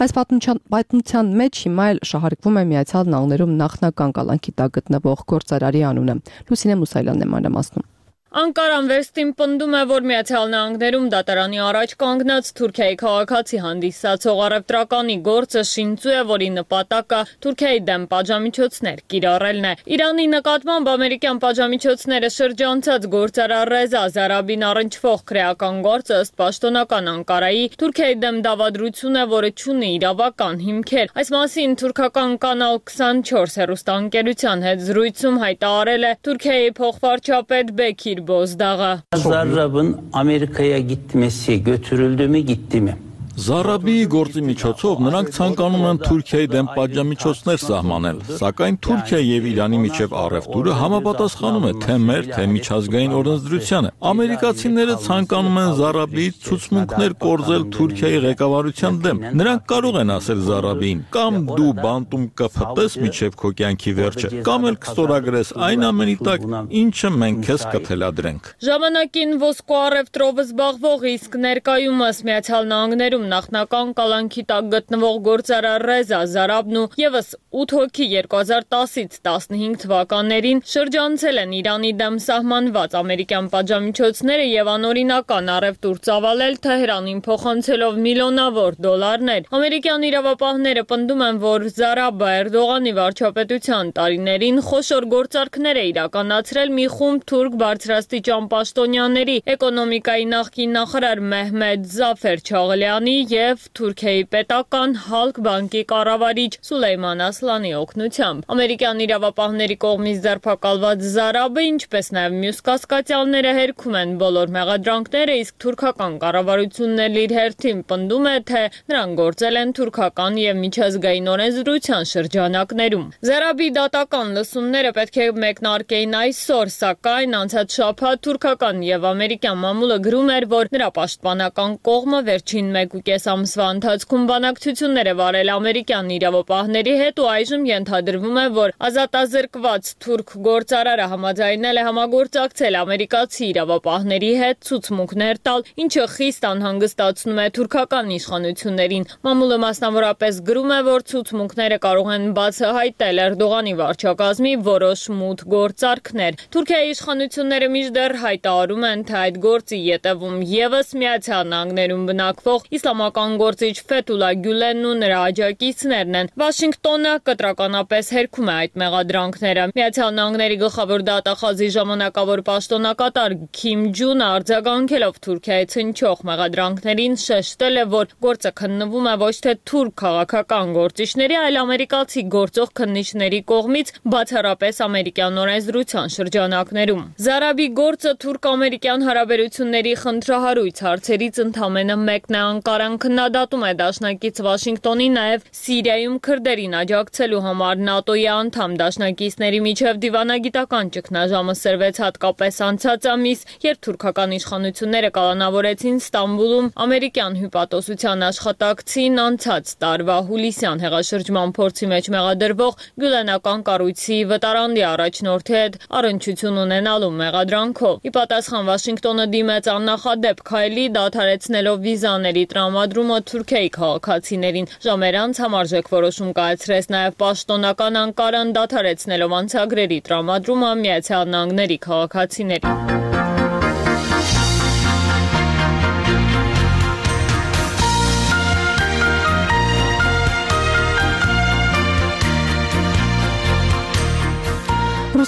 Այս պատմության մեջ հիմա էլ շահարկվում է Միացյալ Նահանգներում նախնական կալանքի տակ գտնվող գործարարի անունը։ Լուսինե Մուսայելյանն է մանրամասնում։ Անկարան վերստին պնդում է, որ Միացյալ Նահանգներում դատարանի առաջ կանգնած Թուրքիայի քաղաքացի հանդիսացող առևտրականի գործը շինծու է, որի նպատակը Թուրքիայի դեմ պատժամիջոցներ կիրառելն է։ Իրանի նկատմամբ ամերիկյան պատժամիջոցները շրջանցած գործարար Ռեզա Զարաբին առնչվող քրեական գործը ըստ պաշտոնական Անկարայի Թուրքիայի դեմ դավադրություն է, որը չունի իրավական հիմքեր։ Այս մասին թուրքական կանալ քսանչորս հեռուստաընկերության հետ զրույցում հայտարարել է Թուրքիայի փոխվարչապետ Bekir Bozdağ'a. Zarrab'ın Amerika'ya gitmesi götürüldü mü gitti mi? Զարաբիի գործի միջոցով նրանք ցանկանում են Թուրքիայի դեմ պատժամիջոցներ սահմանել, սակայն Թուրքիա եւ Իրանի միջև առևտուրը համապատասխանում է թե մեր, թե միջազգային օրենսդրությանը։ Ամերիկացիները ցանկանում են Զարաբիից ցուցմունքներ կորզել Թուրքիայի ղեկավարության դեմ։ Նրանք կարող են ասել Զարաբիին, կամ դու բանտում կփտես միջև քո կյանքի վերջը, կամ էլ կստորագրես այն ամենի տակ, ինչը մենք քեզ կթելադրենք։ Ժամանակին ոսկու առևտրով զբաղվող իսկ ներկայումս Միացյալ Նահանգներում նախնական կալանքի տակ գտնվող գործարար Ռեզա Զարաբն ու եւս ութ հոգի երկու հազար տասից տասնհինգ թվականներին շրջանցել են Իրանի դեմ սահմանված ամերիկյան պատժամիջոցները եւ անօրինական առևտուր ծավալել Թեհրանին փոխանցելով միլիոնավոր դոլարներ։ Ամերիկյան իրավապահները պնդում են, որ Զարաբը Էրդողանի վարչապետության տարիներին խոշոր գործարքներ է իրականացրել մի խումբ թուրք բարձրաստիճան պաշտոնյաների, էկոնոմիկայի նախկին նախարար Մեհմեդ Զաֆեր Չաղլյանի եւ Թուրքիայի պետական Հալկ բանկի կառավարիչ Սուլեյման Ասլանի օգնությամբ։ Ամերիկյան իրավապահների կողմից ձերբակալված Զարաբը, ինչպես նաեւ մյուս կասկածյալները հերքում են բոլոր մեղադրանքները, իսկ թուրքական կառավարությունն էլ իր հերթին պնդում է, թե նրանք գործել են թուրքական եւ միջազգային օրենսդրության շրջանակներում։ Զարաբի դատական լսումները պետք է մեկնարկեին այսօր, սակայն անցած շաբաթ թուրքական եւ ամերիկյան մամուլը գրում էր, որ նրա պաշտպանական կողմը վերջին մեկ ու կես ամսվա ընթացքում բանակցություններ է վարել ամերիկյան իրավապահների հետ ու այժմ ենթադրվում է, որ ազատազրկված թուրք գործարարը համաձայնել է համագործակցել ամերիկացի իրավապահների հետ ցուցմունքներ տալ, ինչը խիստ անհանգստացնում է թուրքական իշխանություններին։ Մամուլը մասնավորապես գրում է, որ ցուցմունքները կարող են բացահայտել Էրդողանի վարչակազմի որոշ մութ գործարքներ։ Թուրքիայի իշխանությունները մինչդեռ հայտարարում են, թե այդ գործի ետևում եւս Միացյալ Նահանգներում բնակվող իսլամական գործիչ Ֆեթուլա Գյուլենն ու նրա աջակիցներն են։ Վաշինգտոնը կտրականապես հերքում է այդ մեղադրանքները։ Միացյալ Նահանգների գլխավոր դատախազի ժամանակավոր պաշտոնակատար Քիմ Ջունը արձագանքելով Թուրքիայի ցնչող մեղադրանքներին շեշտել է, որ գործը քննվում է ոչ թե թուրք քաղաքական գործիչների, այլ ամերիկացի գործող քննիչների կողմից բացառապես ամերիկյան օրենսդրության շրջանակներում։ Զարաբի գործը թուրք-ամերիկյան հարաբերությունների խնդրահարույց հարցերից ընդամենը մեկն է։ Անկարան քննադատում է դաշնակից Վաշինգտոնի նաև Սիրիայում քրդերին աջակցելու համար ՆԱՏՕ-ի անդամ դաշնակիցների միջև դիվանագիտական ճգնաժամը սրվեց հատկապես անցած ամիս, երբ թուրքական իշխանությունները կալանավորեցին Ստամբուլում ամերիկյան հյուպատոսության աշխատակցին անցած տարվա հուլիսյան հեղաշրջման փորձի մեջ մեղադրվող գյուլենական կառույցի վտարանդի առաջնորդի հետ առնչություն ունենալու մեղադրանքով։ Ի պատասխան Վաշինգտոնը դիմեց աննախադեպ քայլի, դադարեցնելով վիզաների տրամադրումը Թուրքիայի քաղաքացիներին։ Ժամեր անց համարժեք որոշում կայացրեց նաև պաշտոնական Անկարան, դադարեցնելով անցագրերի տրամադրումը Միացյալ Նահանգների քաղաքացիներին։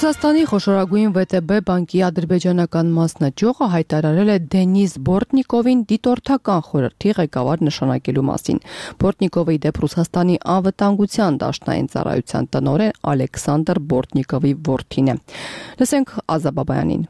Ռուսաստանի խոշորագույն վե տե բե բանկի ադրբեջանական մասնաճյուղը հայտարարել է Դենիս Բորտնիկովին դիտորդական խորհրդի ղեկավար նշանակելու մասին։ Բորտնիկովի դեպ Ռուսաստանի անվտանգության դաշնային ծառայության տնօրեն Ալեքսանդր Բորտնիկովի որդին է։ Լսենք Ազա Բաբայանին։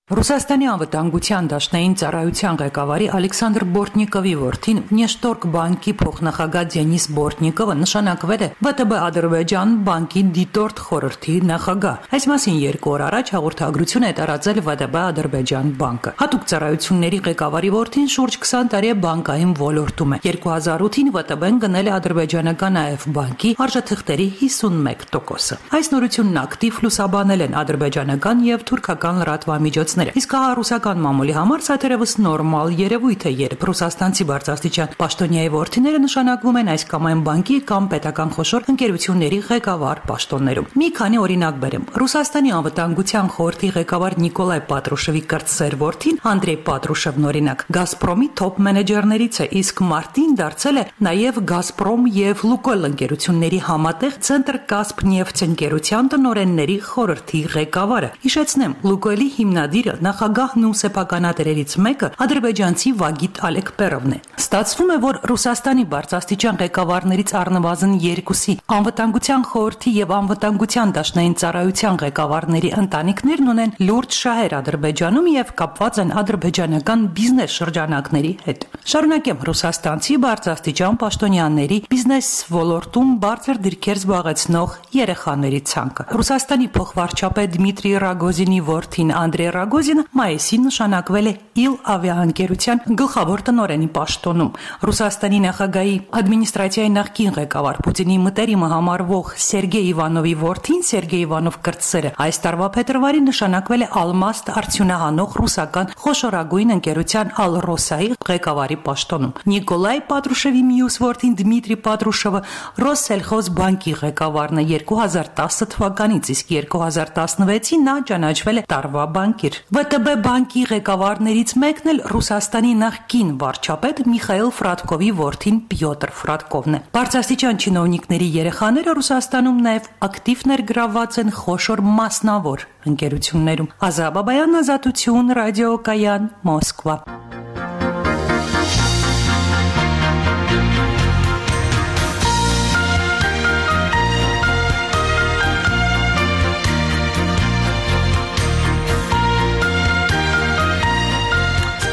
Ռուսաստանի անվտանգության դաշնային ծառայության ղեկավարի Ալեքսանդր Բորտնիկովի որդին Նեշտորկ բանկի փոխնախագահ Դենիս Բորտնիկովը նշանակվել է վե տե բե Ադրբեջան բանկի դիտորդ խորհրդի նախագահ։ Այս մասին երկու օր առաջ հաղորդագրություն է տարածել վե տե բե Ադրբեջան բանկը։ Հատուկ ծառայությունների ղեկավարի որդին շուրջ քսան տարի է բանկային ոլորտում է։ երկու հազար ութին վե տե բեն գնել է ադրբեջանական Ա Էֆ բանկի արժեթղթերի հիսունմեկ տոկոսը։ Այս նորությունն ակտիվ լուսաբանել են ադրբեջանական եւ թուրքական լրատվամիջոցները։ Իսկ հա ռուսական մամուլի համար սա թերևս նորմալ երևույթ է, երբ ռուսաստանցի բարձրաստիճան պաշտոնյայի որդիները նշանակվում են այս կամ այն բանկի կամ պետական խոշոր ընկերությունների ղեկավար պաշտոններում։ Մի քանի օրինակ բերեմ։ Ռուսաստանի անվտանգության խորհրդի ղեկավար Նիկոլայ Պատրուշևի կրտսեր որդին Անդրեյ Պատրուշևն օրինակ Գազպրոմի թոփ մենեջերներից է, իսկ մարտին դարձել է նաև Գազպրոմ եւ Լուկոյլ ընկերությունների համատեղ Ցենտր Կասպնեֆթ ընկերության տնօրենների խորհրդի ղեկավարը։ Հիշեցնեմ, Լուկոյլի հիմնադիր նախագահն ու սեփականատերերից մեկը ադրբեջանցի Վագիտ Ալեկպերովն է։ Ստացվում է, որ Ռուսաստանի բարձրաստիճան ղեկավարներից առնվազն երկուսի անվտանգության խորհրդի եւ անվտանգության դաշնային ծառայության ղեկավարների ընտանիքներն ունեն լուրջ շահեր Ադրբեջանում եւ կապված են ադրբեջանական բիզնես շրջանակների հետ։ Շարունակեմ ռուսաստանցի բարձրաստիճան պաշտոնյաների բիզնես ոլորտում բարձր դիրքեր զբաղեցնող երեխաների ցանկը։ Ռուսաստանի փոխվարչապետ Դմիտրի Ռագոզինի որդին Անդրեյ Ռագոզինը մայիսին նշանակվել է Իլ ավիաընկերության գլխավոր տնօրենի պաշտոնում։ Ռուսաստանի նախագահի ադմինիստրացիայի նախկին ղեկավար Պուտինի մտերիմը համարվող Սերգեյ Իվանովի որդին Սերգեյ Իվանով կրտսերը այս տարվա փետրվարին նշանակվել է Ալմաստ արդյունահանող ռուսական խոշորագույն ընկերության Ալրոսայի ղեկավարի պաշտոնում։ Նիկոլայ Պատրուշևի մյուս որդին Դմիտրի Պատրուշևը Ռոսսելխոզ բանկի ղեկավարն է երկու հազար տասը թվականից, իսկ երկու հազար տասնվեցին նա ճանաչվել է տարվա բանկիր։ վե տե բե բանկի ղեկավարներից մեկն էլ Ռուսաստանի նախկին վարչապետ Միխայիլ Ֆրատկովի որդին Պյոտր Ֆրատկովն է։ Բարձրաստիճան չինովնիկների երեխաները Ռուսաստանում նաև ակտիվ ներգրավված են խոշոր մասնավոր ընկերություններում։ Ազա Բաբայան, Ազատություն, ռադիոկայան, Մոսկվա։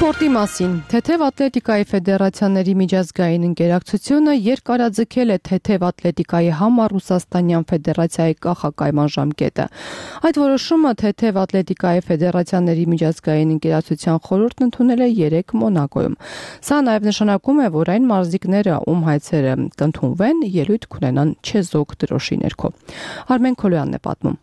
Սպորտի մասին Թեթև ատլետիկայի ֆեդերացիաների միջազգային ընկերակցությունը երկարաձգել է Թեթև ատլետիկայի համար Ռուսաստանյան ֆեդերացիայի կախակայման ժամկետը։ Այդ որոշումը Թեթև ատլետիկայի ֆեդերացիաների միջազգային ընկերակցության խորհուրդն ընդունել է երեկ Մոնակոյում։ Սա նաև նշանակում է, որ այն մարզիկները, ում հայցերը կընդունվեն, ելույթ կունենան չեզոք դրոշի ներքո։ Արմեն Քոլոյանն է պատմում։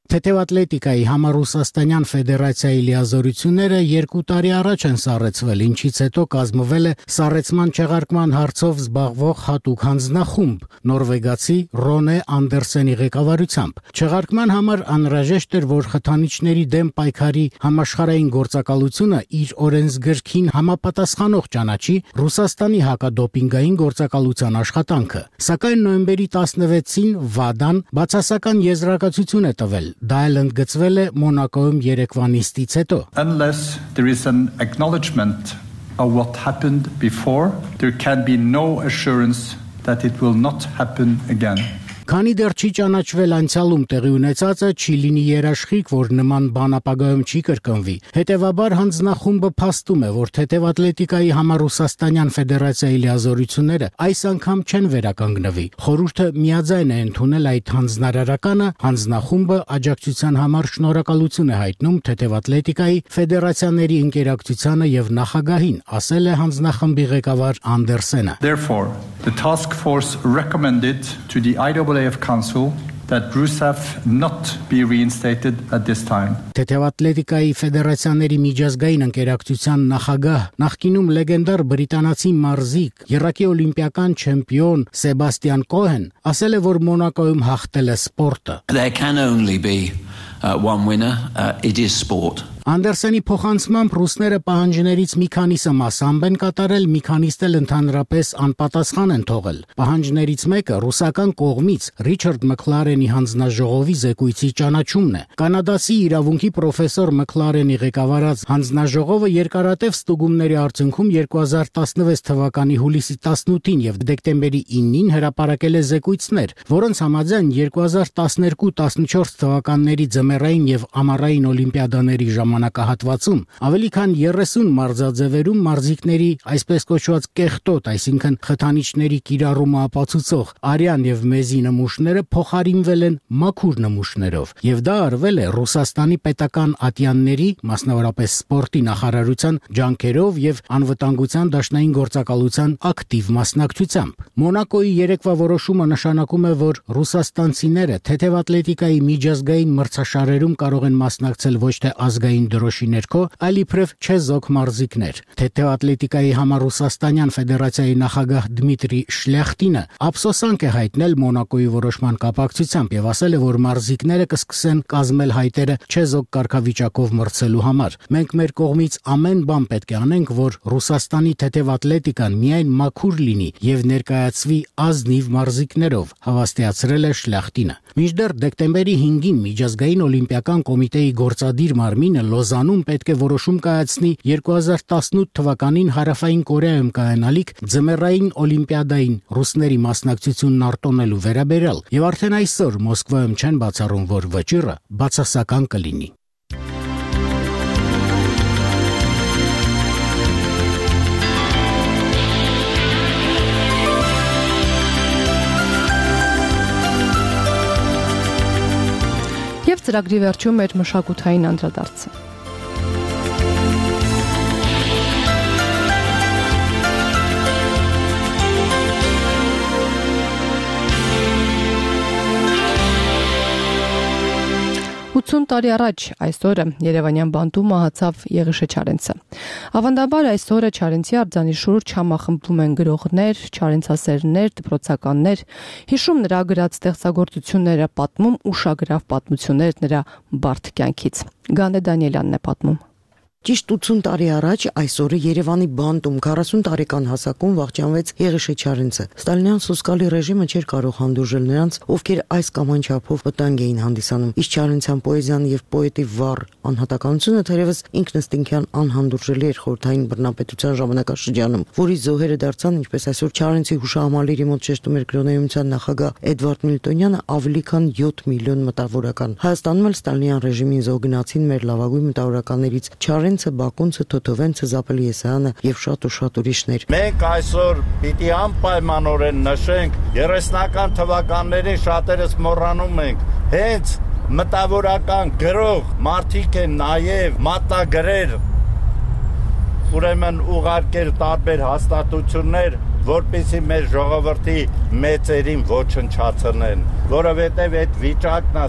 Թեթև ատլետիկայի համար Ռուսաստանյան ֆեդերացիայի լիազորությունները երկու տարի առաջ են սառեցվել, ինչից հետո կազմվել է սառեցման չեղարկման հարցով զբաղվող հատուկ հանձնախումբ նորվեգացի Ռոնե Անդերսենի ղեկավարությամբ։ Չեղարկման համար անհրաժեշտ էր, որ խթանիչների դեմ պայքարի համաշխարհային գործակալությունը իր օրենսգրքին համապատասխանող ճանաչի Ռուսաստանի հակադոպինգային գործակալության աշխատանքը։ Սակայն նոյեմբերի տասնվեցին ՎԱԴԱ-ն բացասական եզրակացություն է տվել։ Դա էլ ընդգծվել է Մոնակոյում երեկվա նիստից հետո։ Unless there is an acknowledgement of what happened before, there can be no assurance that it will not happen again. Քանի դեռ չի ճանաչվել անցյալում տեղի ունեցածը, չի լինի երաշխիք, որ նման բան ապագայում չի կրկնվի։ Հետևաբար հանձնախումբը փաստում է, որ Թեթև ատլետիկայի համար Ռուսաստանյան ֆեդերացիայի լիազորությունները այս անգամ չեն վերականգնվի։ Խորհուրդը միաձայն է ընդունել այդ հանձնարարականը, հանձնախումբը աջակցության համար շնորհակալություն է հայտնում Թեթև ատլետիկայի ֆեդերացիաների ընկերակցությանը եւ նախագահին, ասել է հանձնախմբի ղեկավար Անդերսենը։ Therefore, the task force recommended to the I A A F Council that RUSAF not be reinstated at this time. Թեթև ատլետիկայի ֆեդերացիաների միջազգային ընկերակցության նախագահ, նախկինում լեգենդար բրիտանացի մարզիկ, երակի օլիմպիական չեմպիոն Սեբաստիան Կոհեն ասել է, որ Մոնակոյում հաղթել է սպորտը։ There can only be uh, one winner. Uh, it is sport. Անդերսենի փոխանցմամբ ռուսները պահանջներից մի քանիսը մասամբ են կատարել, մի քանիսն էլ ընդհանրապես անպատասխան են թողել։ Պահանջներից մեկը ռուսական կողմից Ռիչարդ Մքլարենի հանձնաժողովի զեկույցի ճանաչումն է։ Կանադացի իրավունքի պրոֆեսոր Մքլարենի ղեկավարած հանձնաժողովը երկարատև ստուգումների արդյունքում երկու հազար տասնվեց թվականի հուլիսի տասնութին եւ դեկտեմբերի իննին հրապարակել է զեկույցներ, որոնց համաձայն երկու հազար տասներկու տասնչորս թվականների ձմեռային եւ ամառային օլիմպիադաների ժամանակահատվածում ավելի քան երեսուն մարզաձևերում մարզիկների այսպես կոչված կեղտոտ, այսինքն խթանիչների կիրառումը ապացուցող արյան եւ մեզի նմուշները փոխարինվել են մաքուր նմուշներով, եւ դա արվել է Ռուսաստանի պետական ատյանների, մասնավորապես սպորտի նախարարության ջանքերով եւ անվտանգության դաշնային գործակալության ակտիվ մասնակցությամբ։ Մոնակոյի երեկվա որոշումը նշանակում է, որ ռուսաստանցիները թեթև ատլետիկայի միջազգային մրցաշարերում կարող են մասնակցել ոչ թե ազգային դրոշի ներքո, այլ իբրև չեզոք մարզիկներ։ Թեթև ատլետիկայի համառուսաստանյան ֆեդերացիայի նախագահ Դմիտրի Շլյախտինը ափսոսանք է հայտնել Մոնակոյի որոշման կապակցությամբ եւ ասել է, որ մարզիկները կսկսեն կազմել հայտերը չեզոք կարգավիճակով մրցելու համար։ Մենք մեր կողմից ամեն բան պետք է անենք, որ Ռուսաստանի թեթև ատլետիկան միայն մաքուր լինի եւ ներկայացվի ազնիվ մարզիկներով, հավաստիացրել է Շլյախտինը։ Մինչդեռ դեկտեմբերի հինգին միջազգային օլիմպիական կոմիտեի գործադիր մարմինը Լոզանում պետք է որոշում կայացնի երկու հազար տասնութ թվականին Հարավային Կորեայում կայանալիք ձմեռային օլիմպիադային ռուսների մասնակցությունն արտոնելու վերաբերյալ, եւ արդեն այսօր Մոսկվայում չեն բացառում, որ վճիռը բացասական կլինի։ Եվ ծրագրի վերջում մեր մշակութային անդրադարձը։ ութուն տարի առաջ այսօրը Երևանյան բանտում մահացավ Եղիշե Չարենցը։ Ավանդաբար այսօրը Չարենցի արձանի շուրջ համախմբվում են գրողներ, չարենցասերներ, դպրոցականներ, հիշում նրա գրած ստեղծագործությունները, պատմում ուշագրավ պատմություններ նրա բարդ կյանքից։ Գանե Դանիելյանն է պատմում։ Ճիշտ ութուն տարի առաջ այսօրը Երևանի բանտում քառասուն տարեկան հասակում վախճանվեց Եղիշե Չարենցը։ Ստալինյան սոսկալի ռեժիմը չէր կարող հանդուրժել նրանց, ովքեր այս կամ այն չափով վտանգ էին հանդիսանում։ Իսկ Չարենցյան պոեզիան եւ պոետի վառ անհատականությունը թերևս ինքնըստինքյան անհանդուրժելի էր խորհրդային բռնապետության ժամանակաշրջանում, որի զոհերը դարձան, ինչպես այսօր Չարենցի հուշահամալիրի մոտ շեշտում էր գրոնեյնության նախագահ Էդվարդ Միլտոնյանը, ավելի քան յոթ միլիոն մտավորական։ Հայաստանում էլ Ստալինյան ռեժիմին զոհգնացին մեր լավագույն մտավորականներից Չարենցը, Բակունցը, Թոթովենցը, Զապելի Եսայանը եւ շատ ու շատ ուրիշներ։ Մենք այսօր պիտի անպայմանորեն նշենք երեսնական թվականների շատերս մոռանում ենք, հենց մտավորական գրող մարդիկ են նաև մատագրեր, ուրեմն ուղարկել տարբեր հաստատություններ, որպեսզի մեր ժողովրդի մեծերին ոչնչացնեն, որովհետև այդ վիճակն է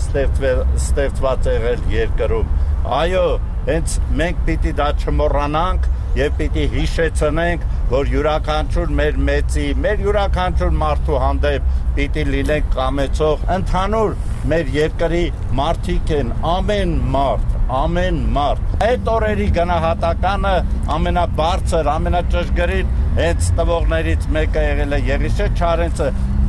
ստեղծված եղել երկրում։ Այո, հենց մենք պիտի դա չմոռանանք եւ պիտի հիշեցնենք, որ յուրաքանչյուր մեր մեծի, մեր յուրաքանչյուր մարդու հանդեպ պիտի լինենք կամեցող, ընդհանուր մեր երկրի մարդիկ են, ամեն մարդ, ամեն մարդ։ Այդ օրերի գնահատականը ամենաբարձր, ամենաճշգրիտ հենց տվողներից մեկը եղել է Եղիշե Չարենցը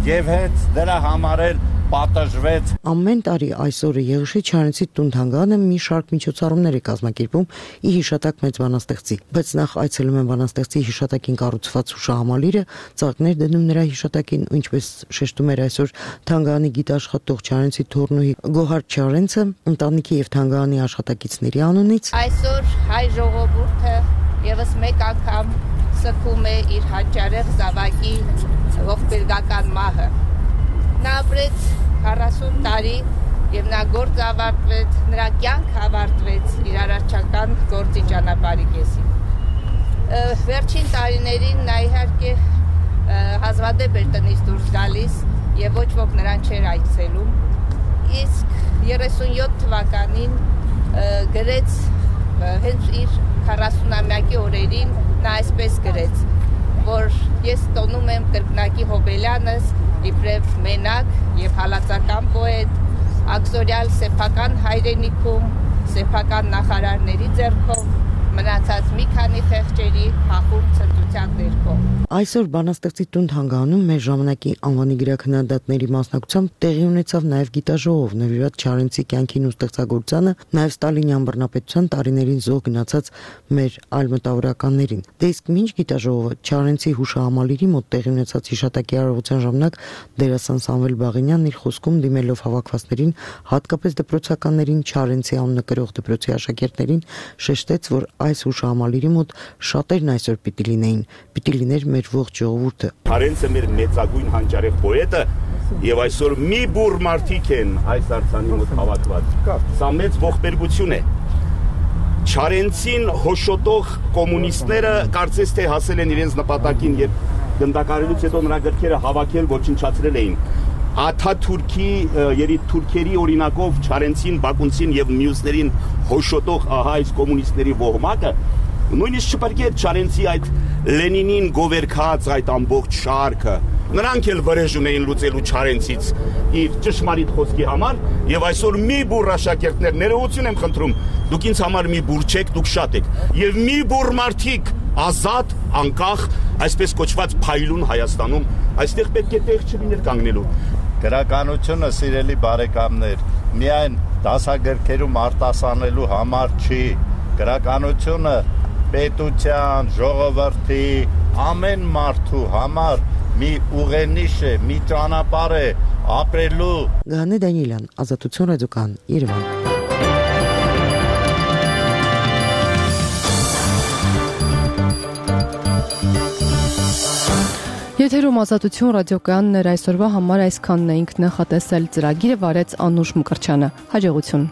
եւ հենց դրա համար էլ պատժվեց։ Ամեն տարի այսօրը Եղիշե Չարենցի տուն-թանգարանը մի շարք միջոցառումներ է կազմակերպում ի հիշատակ մեծ բանաստեղծի, բայց նախ այցելում են բանաստեղծի հիշատակին կառուցված հուշահամալիրը, ծաղիկներ դնում նրա հիշատակին, ինչպես շեշտում էր այսօր թանգարանի գիտաշխատող Չարենցի թոռնուհի Գոհար Չարենցը, ընտանիքի եւ թանգարանի աշխատակիցների անունից։ Այսօր հայ ժողովուրդը եւս մեկ անգամ սգում է իր հաճարեղ զավակի ողբերգական մահը։ Նա ապրեց քառասուն տարի եւ նա գործ ավարտվեց, նրա կյանք ավարտվեց իր արարչական գործի ճանապարհի կեսին։ Վերջին տարիներին նա իհարկե հազվադեպ էր տնից դուրս գալիս եւ ոչ ոք նրան չէր այցելում։ Իսկ երեսունյոթ թվականին գրեց հենց իր քառասունամյակի օրերին նա այսպես գրեց, որ ես տոնում եմ կրկնակի Հոբելյանս իբրև մենակ եւ հալածական պոետ, աքսորյալ սեփական հայրենիքում սեփական նախարարների ձեռքով, մնացած մի քանի խեղճերի հախուռ ցնծության ներքո։ Այսօր բանաստեղծի տուն հանգանում մեր ժամանակի անվանի գրաքննադատների մասնակցությամբ տեղի ունեցավ նաև գիտաժողով նվիրված Չարենցի կյանքին ու ստեղծագործությանը, նաև Ստալինյան բռնապետության տարիներին զոհ գնացած մեր այլ մտավորականներին։ Դե իսկ մինչ գիտաժողովը Չարենցի հուշահամալիրի մոտ տեղի ունեցած հիշատակի արարողության ժամանակ դերասան Սամվել Բաղինյանն իր խոսքում դիմելով հավաքվածներին, հատկապես դպրոցականներին, Չարենցի անունը կրող դպրոցի աշակերտներին, շեշտեց, որ այս հուշահամալիրի մոտ շատերն այսօր պիտի լինեին, պիտի լիներ մեր ողջ ժողովուրդը։ Չարենցը մեր մեծագույն հանճարեղ պոետը եւ այսօր մի բուռ մարդիկ են այս արձանի մոտ հավաքված։ Սա մեծ ողբերգություն է։ Չարենցին հոշոտող կոմունիստները կարծես թե հասել են իրենց նպատակին եւ գնդակարելուց հետո նրա գրքերը հավաքել, ոչնչացրել էին։ Աթաթուրքի երիտ թուրքերի օրինակով Չարենցին, Բակունցին եւ մյուսներին հոշոտող ահա այս կոմունիստների ոհմակը նույնիսկ չպարկե Չարենցի այդ Լենինին գովերքած այդ ամբողջ շարքը նրանք էլ վրեժ ունեին լուծելու Չարենցից իր ճշմարիտ խոսքի համար եւ այսօր մի բուռ աշակերտներ ներողություն եմ խնդրում դուք ինձ համար մի բուռ չեք դուք շատ եք եւ մի բուռ մարդիկ ազատ անկախ այսպես կոչված փայլուն Հայաստանում այստեղ պետք է տեղ չլիներ կանգնելու Գրականությունը սիրելի բարեկամներ միայն դասագրքերում արտասանելու համար չի գրականությունը պետության, ժողովրդի, ամեն մարդու համար մի ուղենիշ է, մի ճանապարհ է ապրելու։ Գանե Դանիելյան, Ազատություն ռադիոկան, Երևան։ Եթերում Ազատություն ռադիոկայանն էր այսօրվա համար այսքանն էինք նախատեսել ծրագիրը վարեց Անուշ Մկրտչյանը։ Հաջողություն։